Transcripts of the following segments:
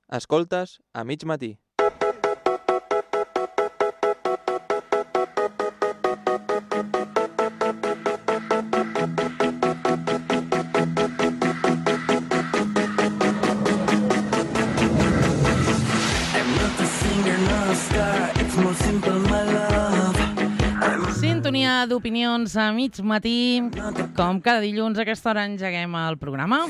Escoltes a mig matí. Sintonia d'opinions a mig matí. Com cada dilluns a aquesta hora engeguem el programa.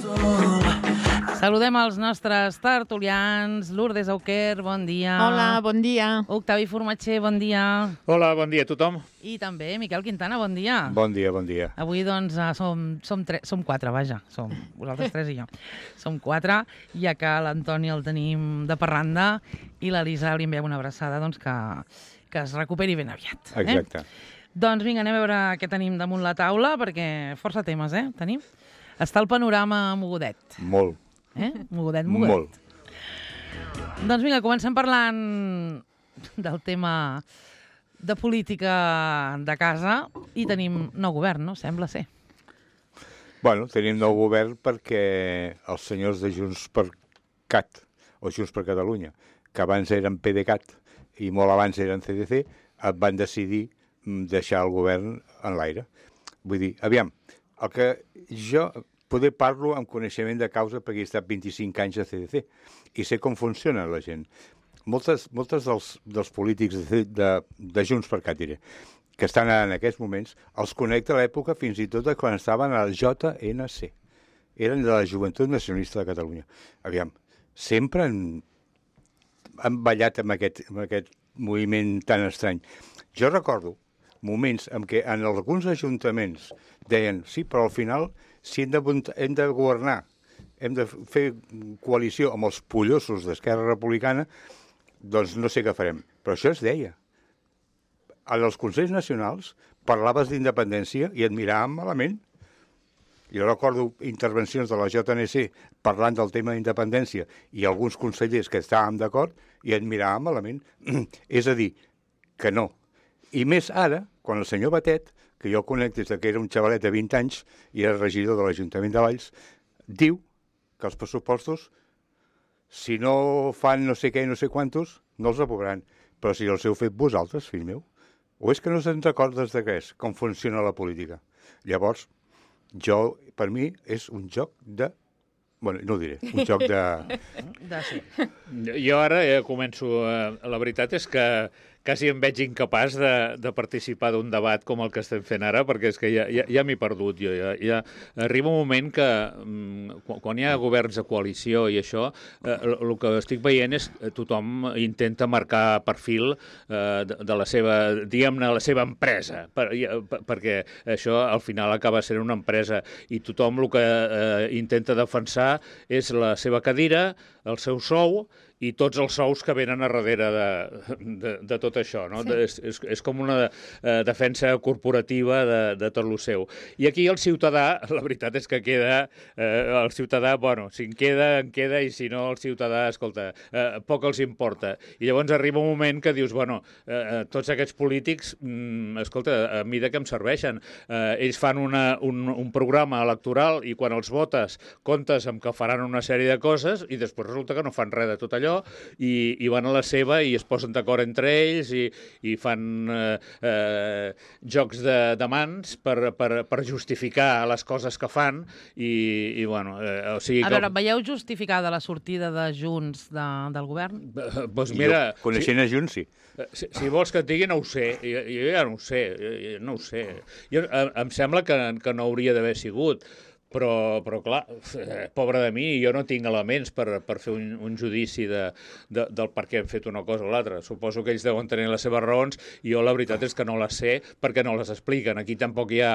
Saludem els nostres tertulians. Lourdes Auquer, bon dia. Hola, bon dia. Octavi Formatger, bon dia. Hola, bon dia a tothom. I també Miquel Quintana, bon dia. Bon dia, bon dia. Avui, doncs, som quatre, vaja. Som vosaltres tres i jo. Som quatre, ja que l'Antoni el tenim de parranda i l'Elisa li enviem una abraçada, doncs, que es recuperi ben aviat. Exacte. Doncs vinga, anem a veure què tenim damunt la taula, perquè força temes, tenim. Està el panorama mogudet. Molt. Mogudet. Molt. Doncs vinga, comencem parlant del tema de política de casa i tenim nou govern, no? Sembla ser. Bueno, tenim nou govern perquè els senyors de Junts per Cat, o Junts per Catalunya, que abans eren PDeCAT i molt abans eren CDC, van decidir deixar el govern en l'aire. Vull dir, aviam, el que jo poder parlo amb coneixement de causa perquè he estat 25 anys a CDC i sé com funciona la gent. Moltes dels polítics de Junts per Cat, diré, que estan en aquests moments, els connecta a l'època fins i tot quan estaven al JNC. Eren de la Joventut Nacionalista de Catalunya. Aviam, sempre han ballat amb aquest moviment tan estrany. Jo recordo moments en què en alguns ajuntaments deien sí, però al final, si hem de governar, hem de fer coalició amb els pollosos d'Esquerra Republicana, doncs no sé què farem. Però això es deia. Als Consells Nacionals parlaves d'independència i et miraven malament. Jo recordo intervencions de la JNC parlant del tema d'independència i alguns consellers que estàvem d'acord i et miraven malament. És a dir, que no. I més ara, quan el senyor Batet, que jo el conec des que era un xavalet de 20 anys i era regidor de l'Ajuntament de Valls, diu que els pressupostos, si no fan no sé què i no sé quantos, no els aprovaran. Però si els heu fet vosaltres, fill meu, o és que no se'n recordes de què és, com funciona la política. Llavors, per mi, és un joc de... Bueno, no ho diré, un joc de... Sí. Jo ara començo... La veritat és que quasi em veig incapaç de participar d'un debat com el que estem fent ara, perquè és que ja m'he perdut. Ja arriba un moment que, quan hi ha governs de coalició i això, el que estic veient és que tothom intenta marcar perfil de la seva, diguem-ne, la seva empresa, perquè això al final acaba sent una empresa i tothom el que intenta defensar és la seva cadira, el seu sou i tots els sous que venen a darrere de tot això, no? Sí. És com una defensa corporativa de tot el seu. I aquí el ciutadà, la veritat és que queda, el ciutadà, bueno, si en queda, i si no, el ciutadà, escolta, poc els importa. I llavors arriba un moment que dius, bueno, tots aquests polítics, escolta, a mi de què em serveixen? Ells fan un programa electoral i quan els votes comptes amb que faran una sèrie de coses i després resulta que no fan res de tot allò i van a la seva i es posen d'acord entre ells i fan jocs de mans per justificar les coses que fan i bueno... o sigui, a veure, veieu justificada la sortida de Junts del govern? Doncs mira... Coneixent a Junts, sí. Si vols que et digui, no ho sé. Jo ja no ho sé. Em sembla que no hauria d'haver sigut. Però clar, pobre de mi, jo no tinc elements per fer un judici del per què hem fet una cosa o l'altra. Suposo que ells deuen tenir les seves raons i jo la veritat és que no les sé perquè no les expliquen. Aquí tampoc hi ha...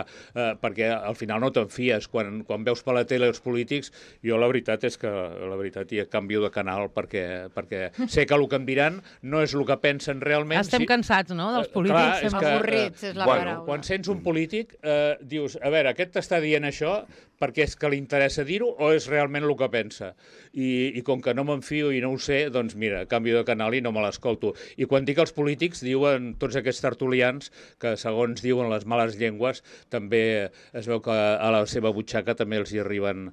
perquè al final no te'n fies. Quan veus per la tele els polítics, jo la veritat és que hi canvio de canal perquè sé que el que em diran no és el que pensen realment. Estem cansats, no?, dels polítics. Avorrits, és la paraula. Quan sents un polític, dius, a veure, aquest t'està dient això, perquè és que li interessa dir-ho o és realment el que pensa. I com que no m'enfio i no ho sé, doncs mira, canvio de canal i no me l'escolto. I quan dic els polítics, diuen tots aquests tertulians que, segons diuen les males llengües, també es veu que a la seva butxaca també els hi arriben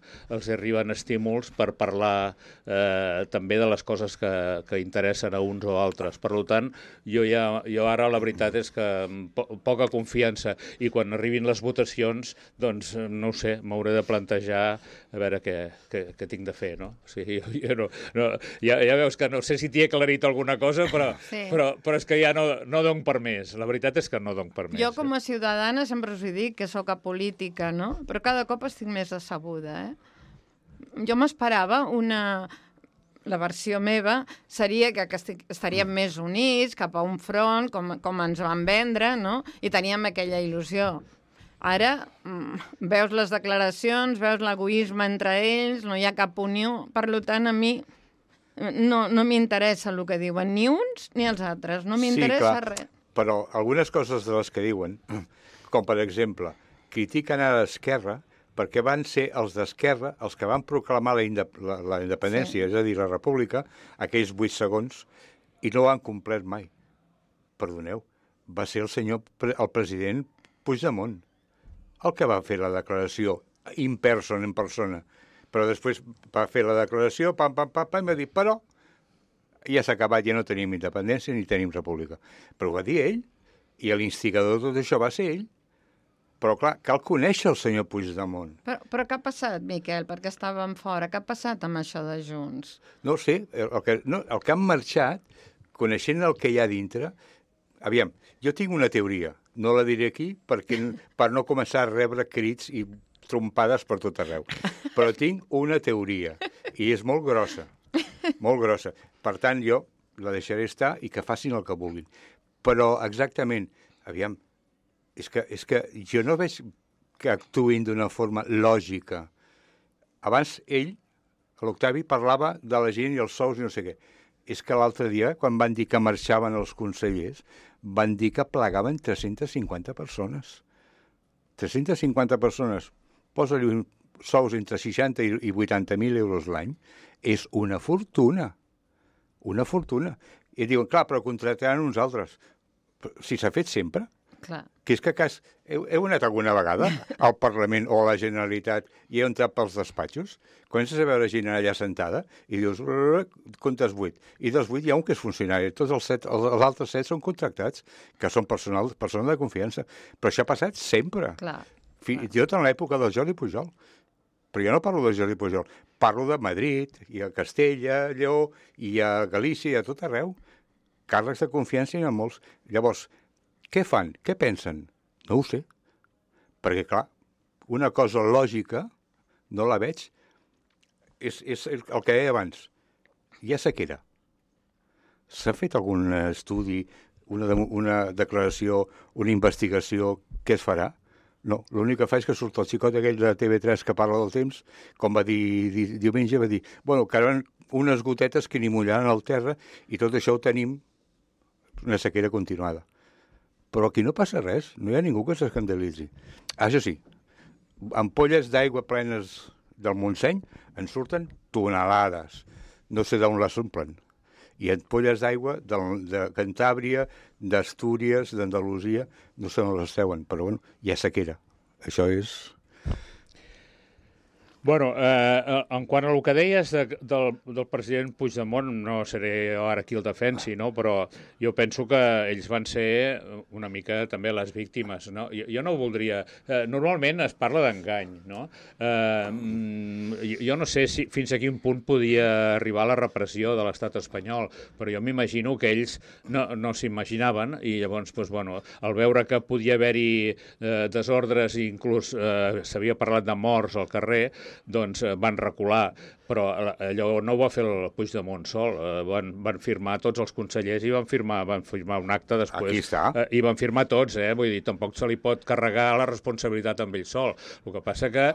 estímuls per parlar també de les coses que interessen a uns o altres. Per tant, jo ara la veritat és que poca confiança, i quan arribin les votacions, doncs no ho sé, m'hauré de plantejar a veure què tinc de fer, no? O sigui, jo no, ja veus que no sé si t'hi he aclarit alguna cosa, però és que ja no dono per més. La veritat és que no dono per més. Jo, com a ciutadana, sempre us he dit que sóc apolítica, no? Però cada cop estic més decebuda, Jo m'esperava la versió meva seria que estaríem més units cap a un front, com ens van vendre, no? I teníem aquella il·lusió. Ara veus les declaracions, veus l'egoisme entre ells, no hi ha cap unió. Per tant, a mi no m'interessa el que diuen ni uns ni els altres. No m'interessa res. Però algunes coses de les que diuen, com per exemple, critiquen a l'esquerra perquè van ser els d'Esquerra els que van proclamar la independència, és a dir, la república, aquells 8 segons, i no ho han complert mai. Perdoneu, va ser el president Puigdemont el que va fer la declaració en persona. Però després va fer la declaració, i va dir, però ja s'ha acabat, ja no tenim independència ni tenim república. Però ho va dir ell, i l'instigador de tot això va ser ell. Però, clar, cal conèixer el senyor Puigdemont. Però què ha passat, Miquel? Perquè estàvem fora. Què ha passat amb això de Junts? No ho sé. El que han marxat, coneixent el que hi ha dintre... Aviam, jo tinc una teoria. No la diré aquí per no començar a rebre crits i trompades per tot arreu. Però tinc una teoria. I és molt grossa. Molt grossa. Per tant, jo la deixaré estar i que facin el que vulguin. Però, exactament, aviam, és que jo no veig que actuïn d'una forma lògica. Abans ell, l'Octavi, parlava de la gent i els sous i no sé què. És que l'altre dia, quan van dir que marxaven els consellers, van dir que plegaven 350 persones. 350 persones. Posa-li sous entre 60 i 80.000 euros l'any. És una fortuna. Una fortuna. I diuen, clar, però contrataran uns altres. Si s'ha fet sempre. Clar. Que és que heu anat alguna vegada al Parlament o a la Generalitat i heu entrat pels despatxos? Comences a veure gent allà sentada i dius, comptes 8. I dels 8 hi ha un que és funcionari. Tots els altres 7 són contractats, que són persones de confiança. Però això ha passat sempre. Clar. Fins i tot en l'època del Jordi Pujol. Però jo no parlo de Jordi Pujol. Parlo de Madrid, i a Castella, Lleó, i a Galícia, i a tot arreu. Càrrecs de confiança hi ha molts. Llavors, què fan? Què pensen? No ho sé. Perquè, clar, una cosa lògica, no la veig, és el que deia abans. Hi ha sequera. S'ha fet algun estudi, una declaració, una investigació, què es farà? No, l'únic que fa és que surt el xicot aquell de TV3 que parla del temps, com va dir diumenge, va dir, bueno, que eren unes gotetes que ni mullaran al terra i tot això ho tenim una sequera continuada. Però aquí no passa res, no hi ha ningú que s'escandalitzi. Això sí, ampolles d'aigua plenes del Montseny en surten tonelades. No sé d'on les omplen. I ampolles d'aigua de Cantàbria, d'Astúries, d'Andalusia, no sé on les treuen, però bueno, hi ha sequera. Això és... Bueno, en quant a el que deies del president Puigdemont, no seré ara qui el defensi, no? Però jo penso que ells van ser una mica també les víctimes, no? Jo no ho voldria... Normalment es parla d'engany, no? Jo no sé fins a quin punt podia arribar la repressió de l'estat espanyol, però jo m'imagino que ells no s'imaginaven i llavors, doncs, bueno, al veure que podia haver-hi desordres i inclús s'havia parlat de morts al carrer, doncs van recular, però allò no ho va fer el Puigdemont sol, van firmar tots els consellers i van firmar un acte després. Aquí està. I van firmar tots, vull dir, tampoc se li pot carregar la responsabilitat amb ell sol. El que passa que,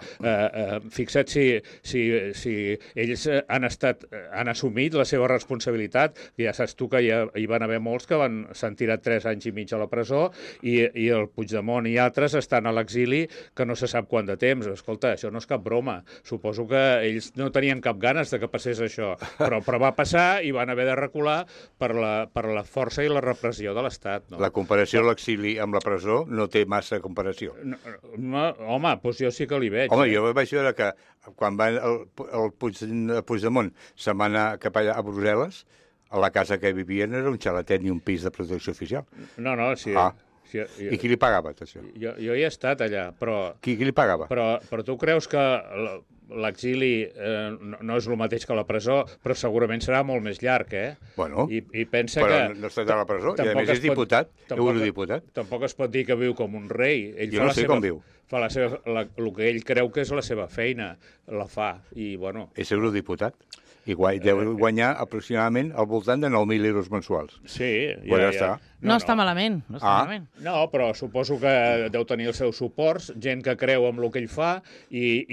fixa't si ells han assumit la seva responsabilitat, ja saps tu que hi van haver molts que s'han tirat 3 anys i mig a la presó i el Puigdemont i altres estan a l'exili que no se sap quant de temps. Escolta, això no és cap broma. Suposo que ells no tenien cap ganes de que passés això, però va passar i van haver de recular per la força i la repressió de l'Estat. No? La comparació a l'exili amb la presó no té massa comparació. Home, doncs jo sí que li veig. Home, jo vaig veure que quan el Puigdemont se'n va anar cap allà a Brussel·les, a la casa que vivien era un xalatet ni un pis de protecció oficial. No, sí. I qui li pagava tot això? Jo hi he estat allà, però... Qui li pagava? Però tu creus que l'exili no és el mateix que la presó, però segurament serà molt més llarg, Bueno, I pensa però que... no està a la presó, i a més és diputat, eurodiputat. Tampoc es pot dir que viu com un rei. Jo no sé com viu. Fa el que ell creu que és la seva feina, la fa, i bueno... És eurodiputat. I deu guanyar aproximadament al voltant de 9.000 euros mensuals. Sí, ja està. No està malament, no està malament. No, però suposo que deu tenir els seus suports, gent que creu en el que ell fa i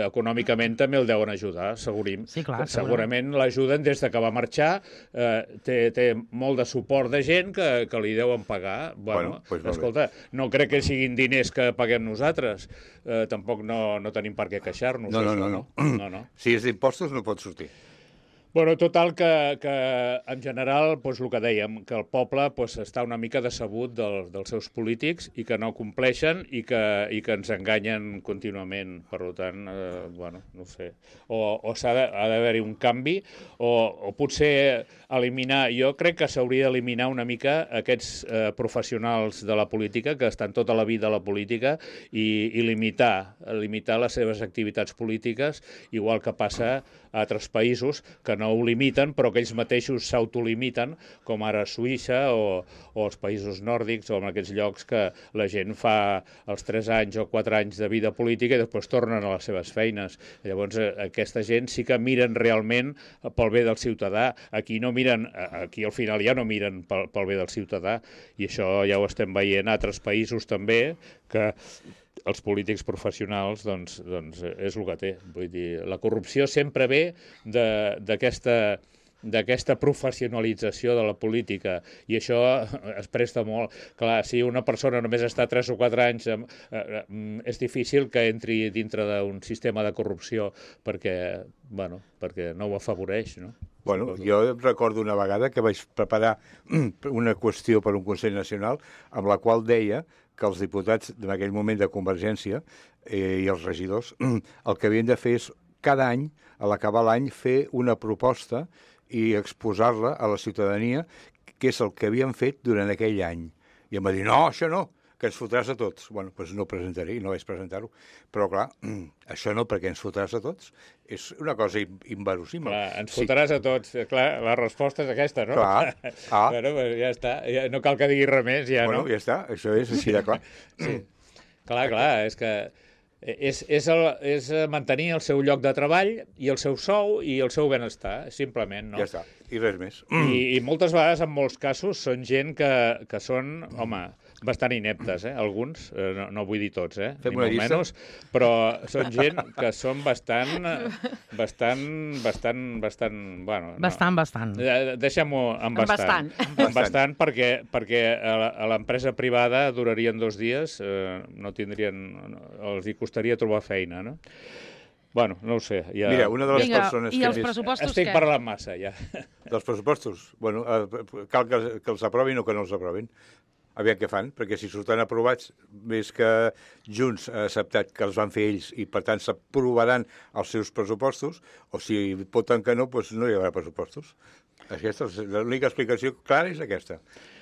econòmicament també el deuen ajudar, Sí, clar, segurament l'ajuden des de que va marxar, té molt de suport de gent que li deuen pagar. Bueno, pues escolta, no crec que siguin diners que paguem nosaltres, tampoc no tenim per què queixar-nos. No. Si és d'impostos no pot sortir. Bueno, total, que en general, doncs, el que dèiem, que el poble està una mica decebut dels seus polítics i que no compleixen i que ens enganyen contínuament. Per tant, bueno, no ho sé. O ha d'haver-hi un canvi o potser eliminar... Jo crec que s'hauria d'eliminar una mica aquests professionals de la política que estan tota la vida a la política i limitar les seves activitats polítiques, igual que passa a altres països que no ho limiten, però que ells mateixos s'autolimiten, com ara Suïssa o els països nòrdics, o en aquests llocs que la gent fa els 3 anys o 4 anys de vida política i després tornen a les seves feines. Llavors, aquesta gent sí que miren realment pel bé del ciutadà. Aquí al final ja no miren pel bé del ciutadà, i això ja ho estem veient a altres països també, que els polítics professionals doncs és el que té. Vull dir, la corrupció sempre ve d'aquesta professionalització de la política, i això es presta molt. Clar, si una persona només està 3 o 4 anys, és difícil que entri dintre d'un sistema de corrupció perquè no ho afavoreix, no? Bueno, jo recordo una vegada que vaig preparar una qüestió per un Consell Nacional amb la qual deia que els diputats en aquell moment de Convergència i els regidors el que havien de fer és cada any, a l'acabar l'any, fer una proposta i exposar-la a la ciutadania, que és el que havien fet durant aquell any. I em va dir, no, això no, que ens fotràs a tots. Bueno, doncs no presentaré, i no vaig presentar-ho. Però, clar, això no, perquè ens fotràs a tots, és una cosa inverosímil. Clar, ens fotràs a tots. Clar, la resposta és aquesta, no? Clar. Bueno, ja està. No cal que digui res més, ja, no? Bueno, ja està. Això és així de clar. Sí. Clar, és que és mantenir el seu lloc de treball i el seu sou i el seu benestar, simplement, no? Ja està, i res més. I moltes vegades, en molts casos, són gent que són, home, bastant ineptes, alguns, no vull dir tots, Fem ni una molt llista? menys, però són gent que són bastant, bueno... Bastant. Deixem-ho en bastant. Bastant, perquè a l'empresa privada durarien 2 dies, no tindrien... els hi costaria trobar feina, no? Bueno, no ho sé. Ja... Mira, una de les persones i que els pressupostos Estic parlant massa, ja. Dels pressupostos? Bueno, cal que els aprovin o que no els aprovin. Aviam què fan, perquè si surten aprovats, més que Junts ha acceptat que els van fer ells i, per tant, s'aprovaran els seus pressupostos, o si voten que no, doncs no hi haurà pressupostos. L'única explicació clara és aquesta.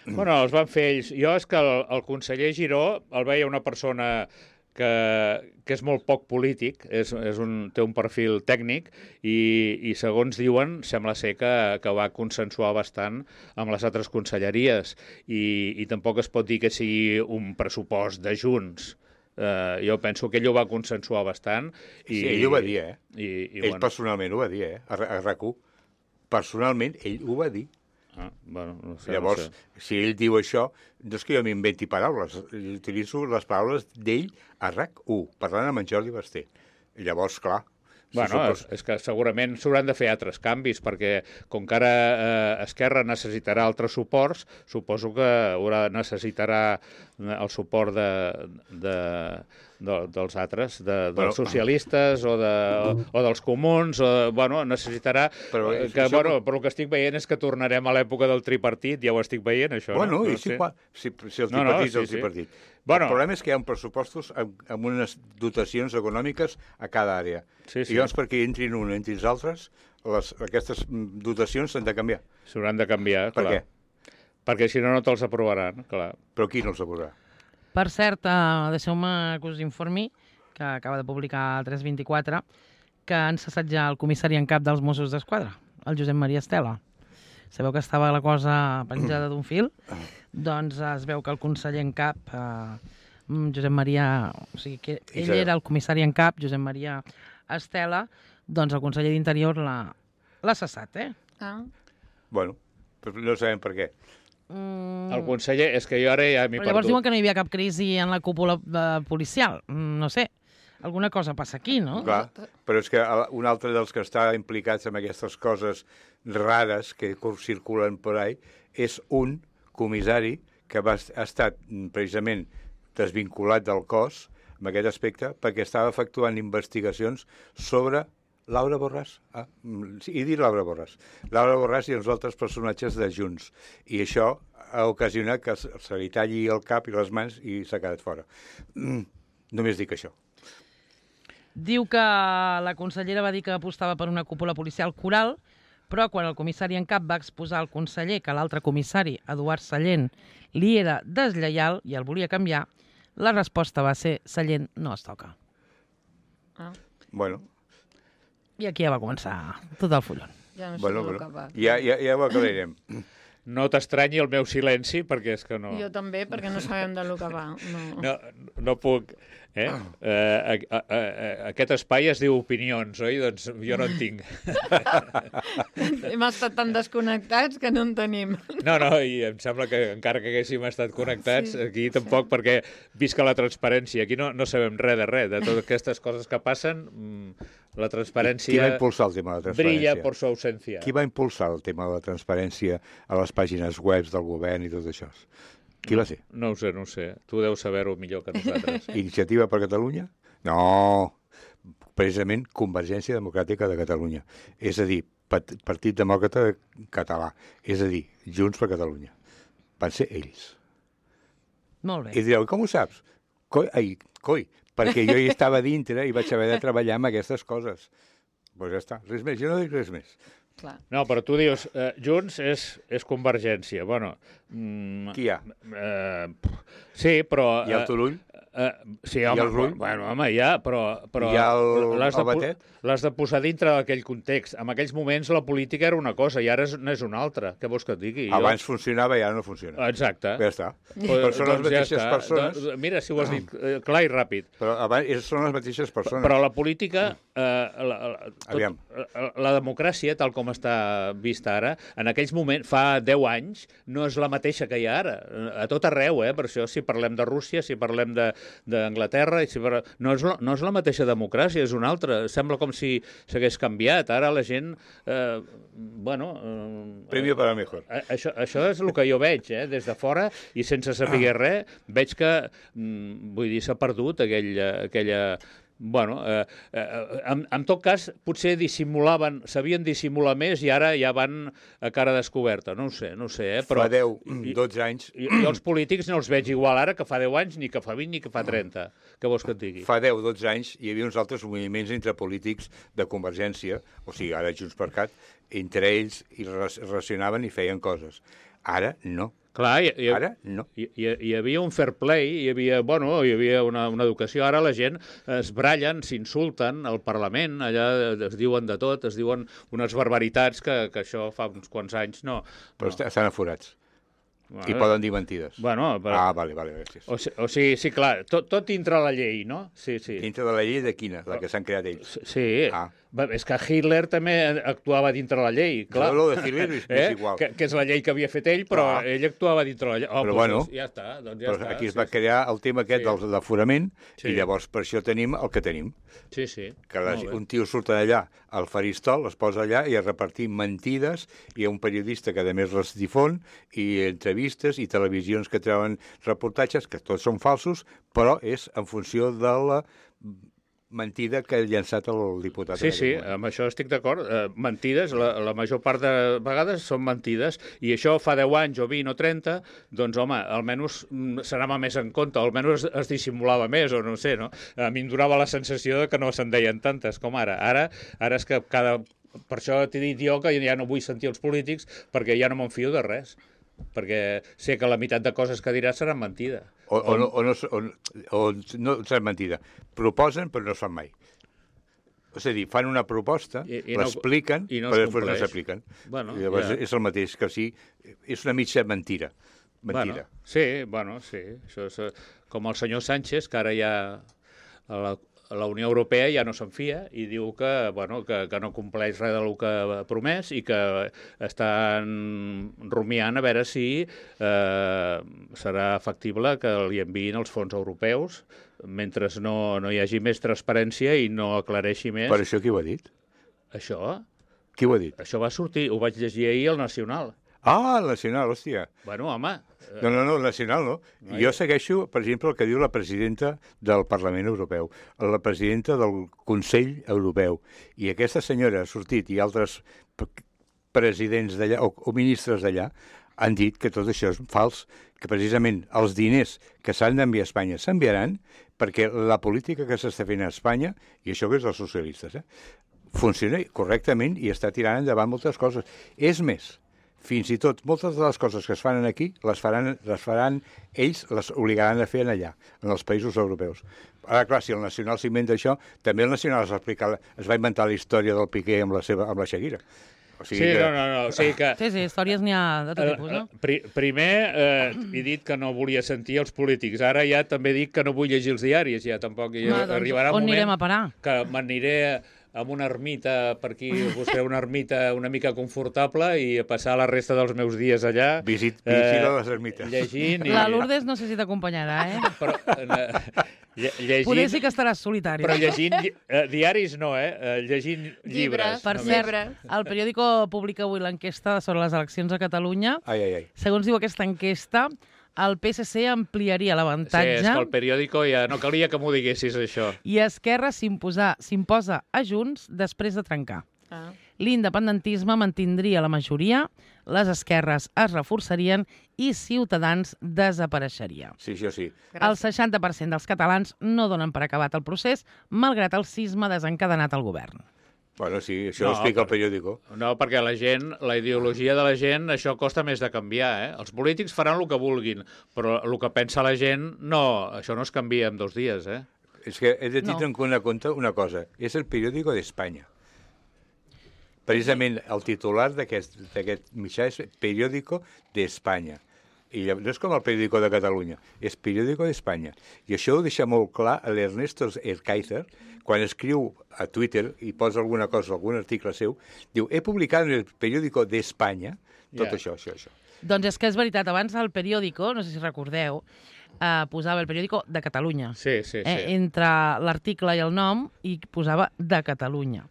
Bueno, els van fer ells. Jo és que el conseller Giró el veia una persona que és molt poc polític, té un perfil tècnic i segons diuen, sembla ser que va consensuar bastant amb les altres conselleries i tampoc es pot dir que sigui un pressupost de Junts, jo penso que ell ho va consensuar bastant. Sí, ell ho va dir, Ell personalment ho va dir, a RAC1. Personalment, ell ho va dir. No sé, Llavors, si ell diu això, no és que jo m'inventi paraules, utilitzo les paraules d'ell a RAC1, parlant amb en Jordi Basté. Llavors, clar... És que segurament s'hauran de fer altres canvis, perquè com que ara Esquerra necessitarà altres suports, suposo que necessitarà el suport dels altres, dels socialistes o dels comuns, necessitarà... Però el que estic veient és que tornarem a l'època del tripartit, ja ho estic veient, això. Bueno, no? Si el tripartit és el tripartit. El problema és que hi ha pressupostos amb unes dotacions econòmiques a cada àrea. I llavors, perquè entrin un entre els altres, aquestes dotacions s'han de canviar. S'hauran de canviar, clar. Per què? Perquè si no, no te'ls aprovaran, clar. Però qui no els aprovarà? Per cert, deixeu-me que us informi, que acaba de publicar 324, que han cessat ja el comissari en cap dels Mossos d'Esquadra, el Josep Maria Estela. Sabeu que estava la cosa penjada d'un fil? Doncs es veu que el conseller en cap, Josep Maria... O sigui, que ell era el comissari en cap, Josep Maria Estela, doncs el conseller d'Interior l'ha cessat, Bueno, no sabem per què. El conseller, és que jo ara ja m'hi perdut. Llavors diuen que no hi havia cap crisi en la cúpula policial. No sé, alguna cosa passa aquí, no? Clar, però és que un altre dels que està implicats en aquestes coses rares que circulen per ahí és un comissari que ha estat precisament desvinculat del cos en aquest aspecte perquè estava efectuant investigacions sobre Laura Borràs. He dit Laura Borràs. Laura Borràs i els altres personatges de Junts. I això ha ocasionat que se li talli el cap i les mans i s'ha quedat fora. Només dic això. Diu que la consellera va dir que apostava per una cúpula policial coral, però quan el comissari en cap va exposar al conseller que l'altre comissari, Eduard Sallent, li era deslleial i el volia canviar, la resposta va ser Sallent no es toca. Bueno. I aquí ja va començar tot el follon. Ja no sé el que va. Ja ho aclarirem. No t'estranyi el meu silenci, perquè és que no... Jo també, perquè no sabem del que va. No puc... Aquest espai es diu opinions, oi? Doncs jo no en tinc. Hem estat tan desconnectats que no en tenim. No, i em sembla que encara que haguéssim estat connectats, aquí tampoc, perquè visca la transparència. Aquí no sabem res de totes aquestes coses que passen. La transparència... Qui va impulsar el tema de la transparència? Brilla por su ausencia. Qui va impulsar el tema de la transparència a les pàgines web del govern i tot això? Qui va ser? No ho sé. Tu deus saber-ho millor que nosaltres. Iniciativa per Catalunya? No, precisament Convergència Democràtica de Catalunya. És a dir, Partit Demòcrata Català. És a dir, Junts per Catalunya. Van ser ells. Molt bé. I direu, com ho saps? Coi, perquè jo hi estava dintre i vaig haver de treballar amb aquestes coses. Doncs ja està, res més, jo no dic res més. Clar. No, però tu dius, Junts és Convergència. Bueno, qui hi ha? Sí, però... I el Turull? Sí, home, bueno, ja, però I el Batet? L'has de posar dintre d'aquell context. En aquells moments la política era una cosa i ara n'és una altra. Què vols que et digui? Abans funcionava i ara no funciona. Exacte. Ja està. Però són les mateixes persones. Mira, si ho has dit clar i ràpid. Però abans són les mateixes persones. Però la política, Aviam. La democràcia, tal com està vista ara, en aquells moments, fa 10 anys, no és la mateixa que hi ha ara. A tot arreu, per això, si parlem de Rússia, si parlem d'Anglaterra, no és la mateixa democràcia, és una altra. Sembla com si s'hagués canviat. Ara la gent... Premio para mejor. Això és el que jo veig, des de fora, i sense saber res, veig que, vull dir, s'ha perdut aquella... Bueno, en tot cas, potser sabien dissimular més i ara ja van a cara descoberta. No ho sé, però... Fa 10, 12 anys... Jo els polítics no els veig igual ara que fa 10 anys, ni que fa 20, ni que fa 30. Què vols que et digui? Fa 10, 12 anys hi havia uns altres moviments entre polítics de Convergència, o sigui, ara Junts per Cat, entre ells i relacionaven i feien coses. Ara no. Clar, ara no. Hi havia un fair play, hi havia una educació. Ara la gent es brallen, s'insulten al Parlament, allà es diuen de tot, es diuen unes barbaritats que això fa uns quants anys no. Però estan aforats. I poden dir mentides. Bueno, però... Ah, vale, gràcies. O sigui, sí, clar, tot dintre la llei, no? Sí. Dintre de la llei de quina? La que s'han creat ells. Sí. Ah. És que Hitler també actuava dintre la llei, clar. No, de Hitler és igual. Que és la llei que havia fet ell, però ell actuava dintre la llei. Però bueno, ja està. Però aquí es va crear el tema aquest del aforament i llavors per això tenim el que tenim. Sí. Que un tio surt allà al faristol, es posa allà i a repartir mentides, i hi ha un periodista que a més les difon, i entrevistes i televisions que treuen reportatges, que tots són falsos, però és en funció de la mentida que ha llançat el diputat. Sí, amb això estic d'acord. Mentides, la major part de vegades són mentides, i això fa 10 anys o 20 o 30, doncs, home, almenys s'anava més en compte, almenys es dissimulava més, o no sé, no? A mi em donava la sensació de que no se'n deien tantes com ara. Ara és que per això t'he dit jo que ja no vull sentir els polítics, perquè ja no me'n fio de res, perquè sé que la meitat de coses que diràs seran mentida. O no seran mentida. Proposen, però no es fan mai. És a dir, fan una proposta, l'expliquen, però després no s'apliquen. Llavors és el mateix, que sí, és una mitja mentira. Sí. Això és com el senyor Sánchez, que ara ja la Unió Europea ja no se'n fia i diu que no compleix res del que ha promès i que estan rumiant a veure si serà factible que li enviïn els fons europeus mentre no hi hagi més transparència i no aclareixi més. Per això qui ho ha dit? Això? Qui ho ha dit? Això va sortir, ho vaig llegir ahir al Nacional. Ah, el Nacional, hòstia. Bueno, home... No, el Nacional no. Jo segueixo, per exemple, el que diu la presidenta del Parlament Europeu, la presidenta del Consell Europeu, i aquesta senyora ha sortit, i altres presidents d'allà, o ministres d'allà, han dit que tot això és fals, que precisament els diners que s'han d'enviar a Espanya s'enviaran perquè la política que s'està fent a Espanya, i això que és dels socialistes, funciona correctament i està tirant endavant moltes coses. És més, fins i tot moltes de les coses que es fan aquí les faran ells, les obligaran a fer allà, en els països europeus. Ara, clar, si el Nacional s'inventa això, també el Nacional es va inventar la història del Piqué amb la Shakira. O sigui no. O sigui que... Sí, històries n'hi ha de tot tipus, no? Primer he dit que no volia sentir els polítics. Ara ja també dic que no vull llegir els diaris. Ja tampoc arribarà un moment... On anirem a parar? Que m'aniré amb una ermita per aquí, buscaré una ermita una mica confortable i passar la resta dels meus dies allà... Visita les ermites. Llegint... La Lourdes no sé si t'acompanyarà, Però... Llegint... Poder sí que estaràs solitari. Però llegint diaris no, llegint llibres. Per cert, el periòdico publica avui l'enquesta sobre les eleccions a Catalunya. Segons diu aquesta enquesta, el PSC ampliaria l'avantatge... Sí, és que el periòdico ja no calia que m'ho diguessis, això. I Esquerra s'imposa a Junts després de trencar. L'independentisme mantindria la majoria, les esquerres es reforçarien i Ciutadans desapareixeria. Sí, això sí. El 60% dels catalans no donen per acabat el procés, malgrat el sisme desencadenat al govern. Bueno, sí, això ho explica el periòdico. No, perquè la ideologia de la gent, això costa més de canviar, Els polítics faran el que vulguin, però el que pensa la gent, no, això no es canvia en 2 dies, És que he de tindre en compte una cosa, és el periòdico d'Espanya. Precisament el titular d'aquest mitjà és periòdico d'Espanya. I no és com el periòdico de Catalunya, és periòdico d'Espanya. I això ho deixa molt clar l'Ernesto Erkaizer, quan escriu a Twitter i posa alguna cosa, algun article seu, diu, he publicat en el periòdico d'Espanya tot això. Doncs és que és veritat, abans el periòdico, no sé si recordeu, posava el periòdico de Catalunya. Sí. Entre l'article i el nom, i posava de Catalunya.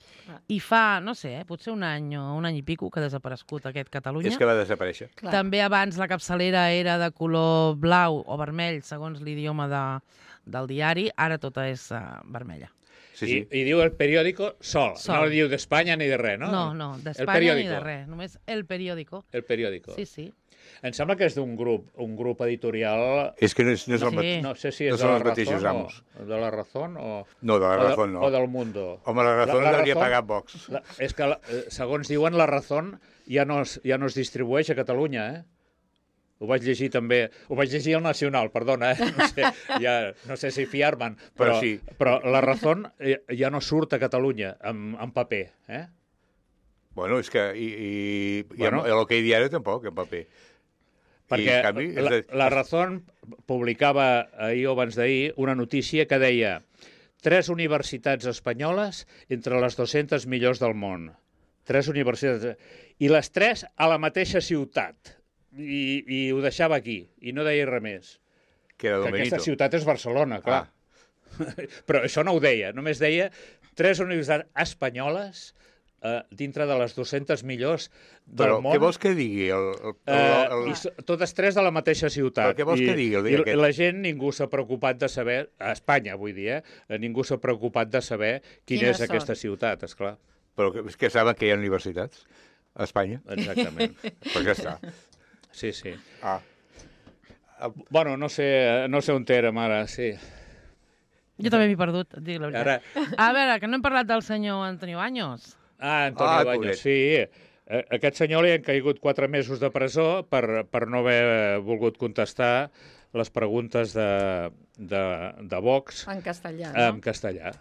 I fa, no sé, potser un any o un any i pico que ha desaparegut aquest Catalunya. És que va desaparèixer. També abans la capçalera era de color blau o vermell, segons l'idioma del diari, ara tota és vermella. Sí. I diu el periòdico sol. No diu d'Espanya ni de res, no? No, d'Espanya ni de res, només el periòdico. El periòdico. Sí. Em sembla que és d'un grup editorial... És que no és el mateix. No sé si és de la Razón o... De la Razón o... No, de la Razón no. O del Mundo. Home, la Razón l'hauria pagat Vox. És que, segons diuen, la Razón ja no es distribueix a Catalunya, Ho vaig llegir també... Ho vaig llegir al Nacional, perdona, no sé si fiar-me'n, però la Razón ja no surt a Catalunya en paper, Bueno, és que... I el que hi diari tampoc, en paper. Perquè en canvi, la Razón publicava ahir o abans d'ahir una notícia que deia 3 universitats espanyoles entre les 200 millors del món. 3 universitats. I les 3 a la mateixa ciutat. I ho deixava aquí. I no deia res més. que era Que aquesta Benito. ciutat és Barcelona, clar. Però això no ho deia. Només deia 3 universitats espanyoles dintre de les 200 millors del Però món. què vols que digui? Totes 3 de la mateixa ciutat. Però què vols que digui el dia aquest? I la gent, ningú s'ha preocupat de saber, a Espanya vull dir, ningú s'ha preocupat de saber quina Quines és aquesta són? ciutat, esclar. Però és que saben que hi ha universitats a Espanya. Exactament. Pues ja està. Sí, sí. Ah. Bueno, no sé on érem ara, sí. Jo també m'he perdut, et dic la veritat. A veure, que no hem parlat del senyor Antonio Baños. Antonio Baños, pobret. sí. A aquest senyor li han caigut 4 mesos de presó per no haver volgut contestar les preguntes de Vox En castellà, en no? castellà.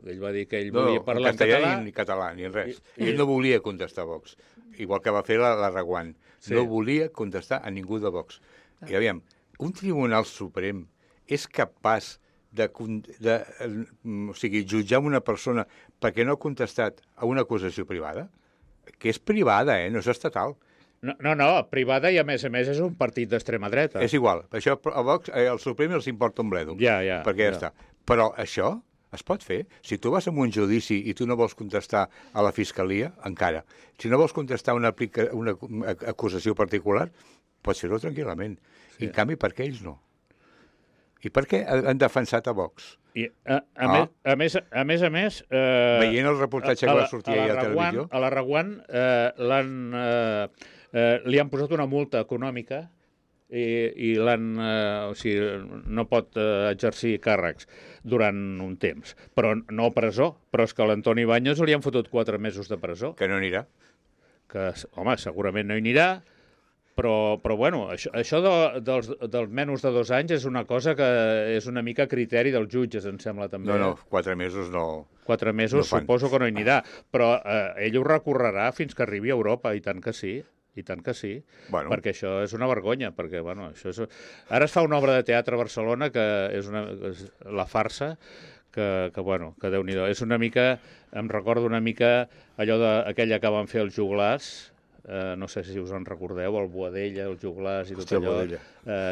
Ell va dir que ell No, volia en parlar en castellà català. ni en català, ni en res. Ell no volia contestar a Vox, igual que va fer la Reguant. Sí. No volia contestar a ningú de Vox. I aviam, un tribunal suprem és capaç de jutjar una persona perquè no ha contestat a una acusació privada? Que és privada, no és estatal. No, privada i a més és un partit d'extrema dreta. És igual. Això a Vox, al Suprem els importa un bledo. Ja. Perquè ja està. Però això es pot fer. Si tu vas a un judici i tu no vols contestar a la fiscalia, encara. Si no vols contestar una acusació particular, pots fer-ho tranquil·lament. Sí. En canvi, per què ells no? I per què han defensat a Vox? I, a més... Veient el reportatge que va sortir ahir a la televisió... A la Reguant li han posat una multa econòmica i no pot exercir càrrecs durant un temps. Però no a presó. Però és que a l'Antoni Baños li han fotut 4 mesos de presó. Que no anirà. Que, home, segurament no hi anirà, però bueno, això dels menys de 2 anys és una cosa que és una mica criteri dels jutges, em sembla, també. No, 4 mesos no... 4 mesos no suposo que no hi anirà, però ell ho recorrerà fins que arribi a Europa, i tant que sí. I tant que sí, perquè això és una vergonya, perquè, bueno, això és... Ara es fa una obra de teatre a Barcelona que és la farsa, que Déu-n'hi-do. És una mica, em recordo una mica allò aquella que van fer els joglars, no sé si us en recordeu, el Boadella, els joglars i tot allò,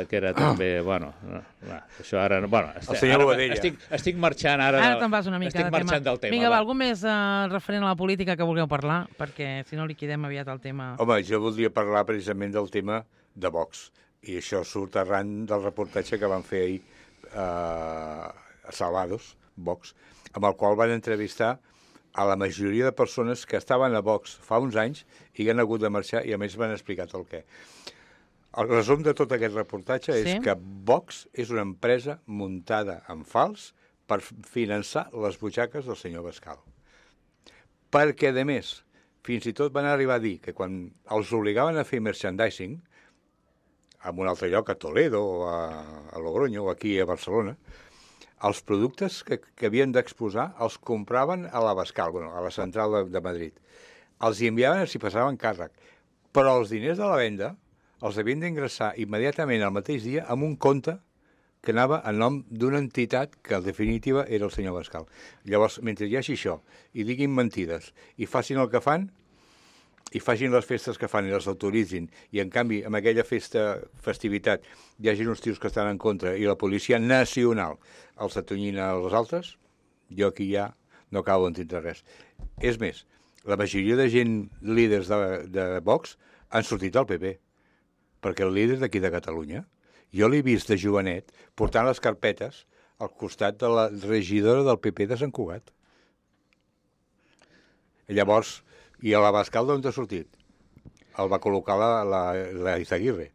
que era també, això ara... El senyor Boadella. Estic marxant ara... Ara te'n vas una mica estic marxant del tema. Vinga, algú més referent a la política que vulgueu parlar? Perquè si no liquidem aviat el tema... Home, jo voldria parlar precisament del tema de Vox. I això surt arran del reportatge que van fer ahir a Salvados, Vox, amb el qual van entrevistar a la majoria de persones que estaven a Vox fa uns anys i que han hagut de marxar i a més van explicat el què. El resum de tot aquest reportatge és que Vox és una empresa muntada en fals per finançar les butxaques del senyor Bascal. Perquè, a més, fins i tot van arribar a dir que quan els obligaven a fer merchandising, en un altre lloc, a Toledo, o a Logroño, o aquí a Barcelona, els productes que havien d'exposar els compraven a la Bascal, a la central de Madrid. Els hi enviaven si passaven càrrec. Però els diners de la venda els havien d'ingressar immediatament al mateix dia amb un compte que anava a nom d'una entitat que, en definitiva, era el senyor Bascal. Llavors, mentre hi hagi això, i diguin mentides, i facin el que fan, i facin les festes que fan i les autoritzin, i en canvi, amb aquella festivitat, hi hagi uns tios que estan en contra i la policia nacional els atonyina als altres, jo aquí ja no acabo d'entendre res. És més, la majoria de gent líders de Vox han sortit del PP, perquè el líder d'aquí de Catalunya, jo l'he vist de jovenet portant les carpetes al costat de la regidora del PP de Sant Cugat. Llavors, i a la Bascal d'on ha sortit? El va col·locar la Izaguirre.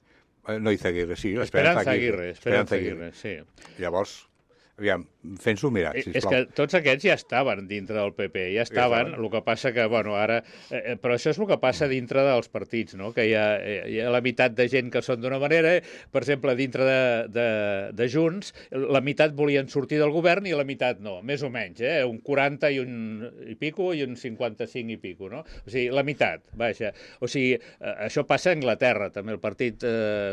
No Izaguirre, sí, Esperanza Aguirre, sí. Llavors, aviam, fent-s'ho mirar, sisplau. És que tots aquests ja estaven dintre del PP, ja estaven, el que passa que, bueno, ara... però això és el que passa dintre dels partits, no? Que hi ha la meitat de gent que són d'una manera, per exemple, dintre de Junts, la meitat volien sortir del govern i la meitat no, més o menys, un 40 i pico i un 55 i pico, no? O sigui, la meitat, vaja. O sigui, això passa a Anglaterra, també el Partit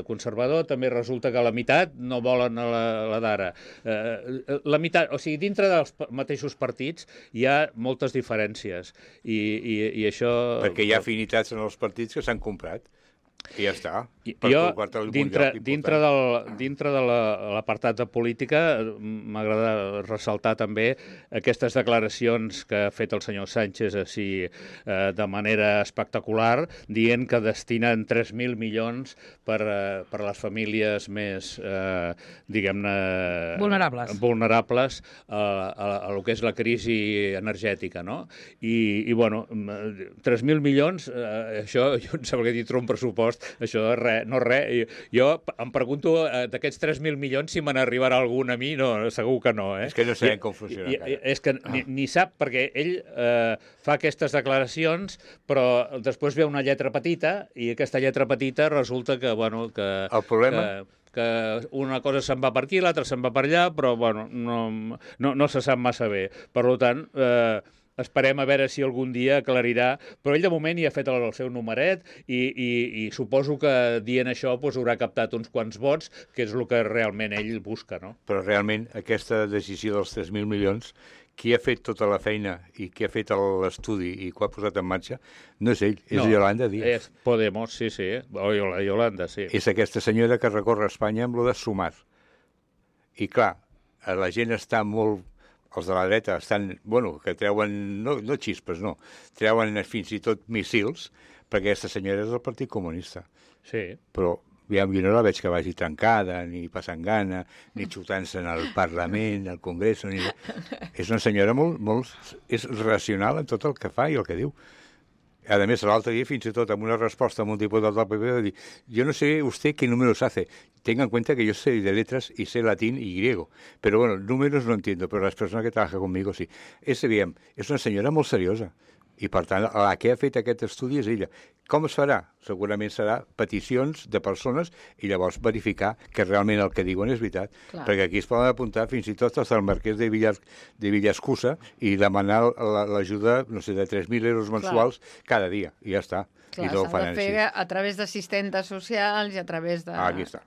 Conservador, també resulta que la meitat no volen la d'ara. La meitat, o sigui, dintre dels mateixos partits hi ha moltes diferències i això... Perquè hi ha afinitats en els partits que s'han comprat. I ja està. Jo, dintre de l'apartat de política, m'agrada ressaltar també aquestes declaracions que ha fet el senyor Sánchez així de manera espectacular, dient que destinen 3.000 milions per a les famílies més, diguem-ne... vulnerables a lo que és la crisi energètica, no? I bueno, 3.000 milions, això, jo em sembla que dintre un pressupost, això no res. Jo em pregunto d'aquests 3.000 milions si me n'arribarà algun a mi, no, segur que no. És que no sabem com funciona encara. És que ni sap, perquè ell fa aquestes declaracions, però després ve una lletra petita i aquesta lletra petita resulta que, bueno, que... El problema... que una cosa se'n va per aquí, l'altra se'n va per allà, però bueno, no se sap massa bé. Per tant, esperem a veure si algun dia aclarirà, però ell de moment hi ha fet el seu numeret i suposo que dient això doncs, haurà captat uns quants vots, que és el que realment ell busca, no? Però realment aquesta decisió dels 3.000 milions, qui ha fet tota la feina i qui ha fet l'estudi i qui ha posat en marxa, no és ell, és Yolanda Díaz. És Podemos, sí, o Yolanda, sí. És aquesta senyora que recorre Espanya amb lo de Sumar. I clar, la gent està molt... Els de la dreta estan, bueno, que treuen, no xispes, no, treuen fins i tot missils, perquè aquesta senyora és del Partit Comunista. Sí. Però jo no la veig que vagi tancada, ni passant gana, ni xutant-se en el Parlament, al Congrés, ni... És una senyora molt... és racional en tot el que fa i el que diu. A més, l'altre dia, fins i tot, amb una resposta a un diputat del PP, va dir, yo no sé usted qué números hace. Tenga en cuenta que yo sé de letras y sé latín y griego. Pero bueno, números no entiendo, pero las personas que trabajan conmigo sí. És una senyora molt seriosa. I, per tant, la que ha fet aquest estudi és ella. Com es farà? Segurament serà peticions de persones i llavors verificar que realment el que diuen és veritat. Clar. Perquè aquí es poden apuntar fins i tot als del marquès de Villascusa i demanar l'ajuda, no sé, de 3.000 euros mensuals cada dia. I ja està. Clar, s'ha de fer a través d'assistentes socials i a través de... Aquí està.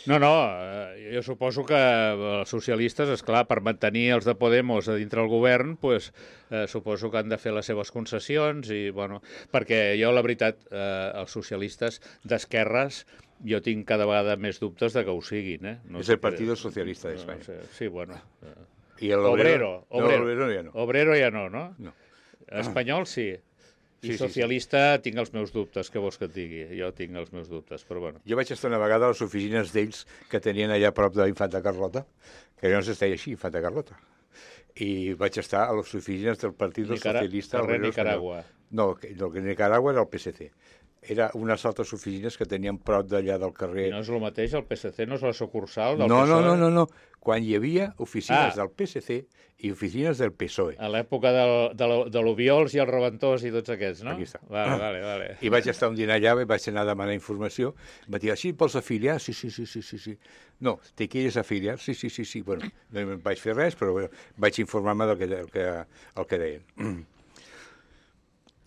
No, jo suposo que els socialistes, esclar, per mantenir els de Podemos a dintre del govern, pues, suposo que han de fer les seves concessions, i, bueno, perquè jo, la veritat, els socialistes d'esquerres, jo tinc cada vegada més dubtes de que ho siguin. No és el Partit Socialista d'Espanya. No sé. Sí, bueno. I l'Obrero? L'Obrero ja no. Obrero ja no, no? No. Espanyol sí. I socialista tinc els meus dubtes, què vols que et digui? Jo tinc els meus dubtes, però bueno. Jo vaig estar una vegada a les oficines d'ells que tenien allà a prop d'Infanta Carlota, que llavors es deia així, Infanta Carlota. I vaig estar a les oficines del Partit Socialista... Carrer Nicaragua. No, el que Nicaragua era el PSC. Era unes altres oficines que tenien prop d'allà del carrer... I no és el mateix, el PSC no és la sucursal del PSOE? No. Quan hi havia oficines del PSC i oficines del PSOE. A l'època de l'Obiols i el Reventós i tots aquests, no? Aquí està. Vale. I vaig estar un dinar allà, vaig anar a demanar informació, em va dir, sí, vols afiliar? Sí. No, te quieres afiliar? Sí. Bueno, no em vaig fer res, però bueno, vaig informar-me del que deien.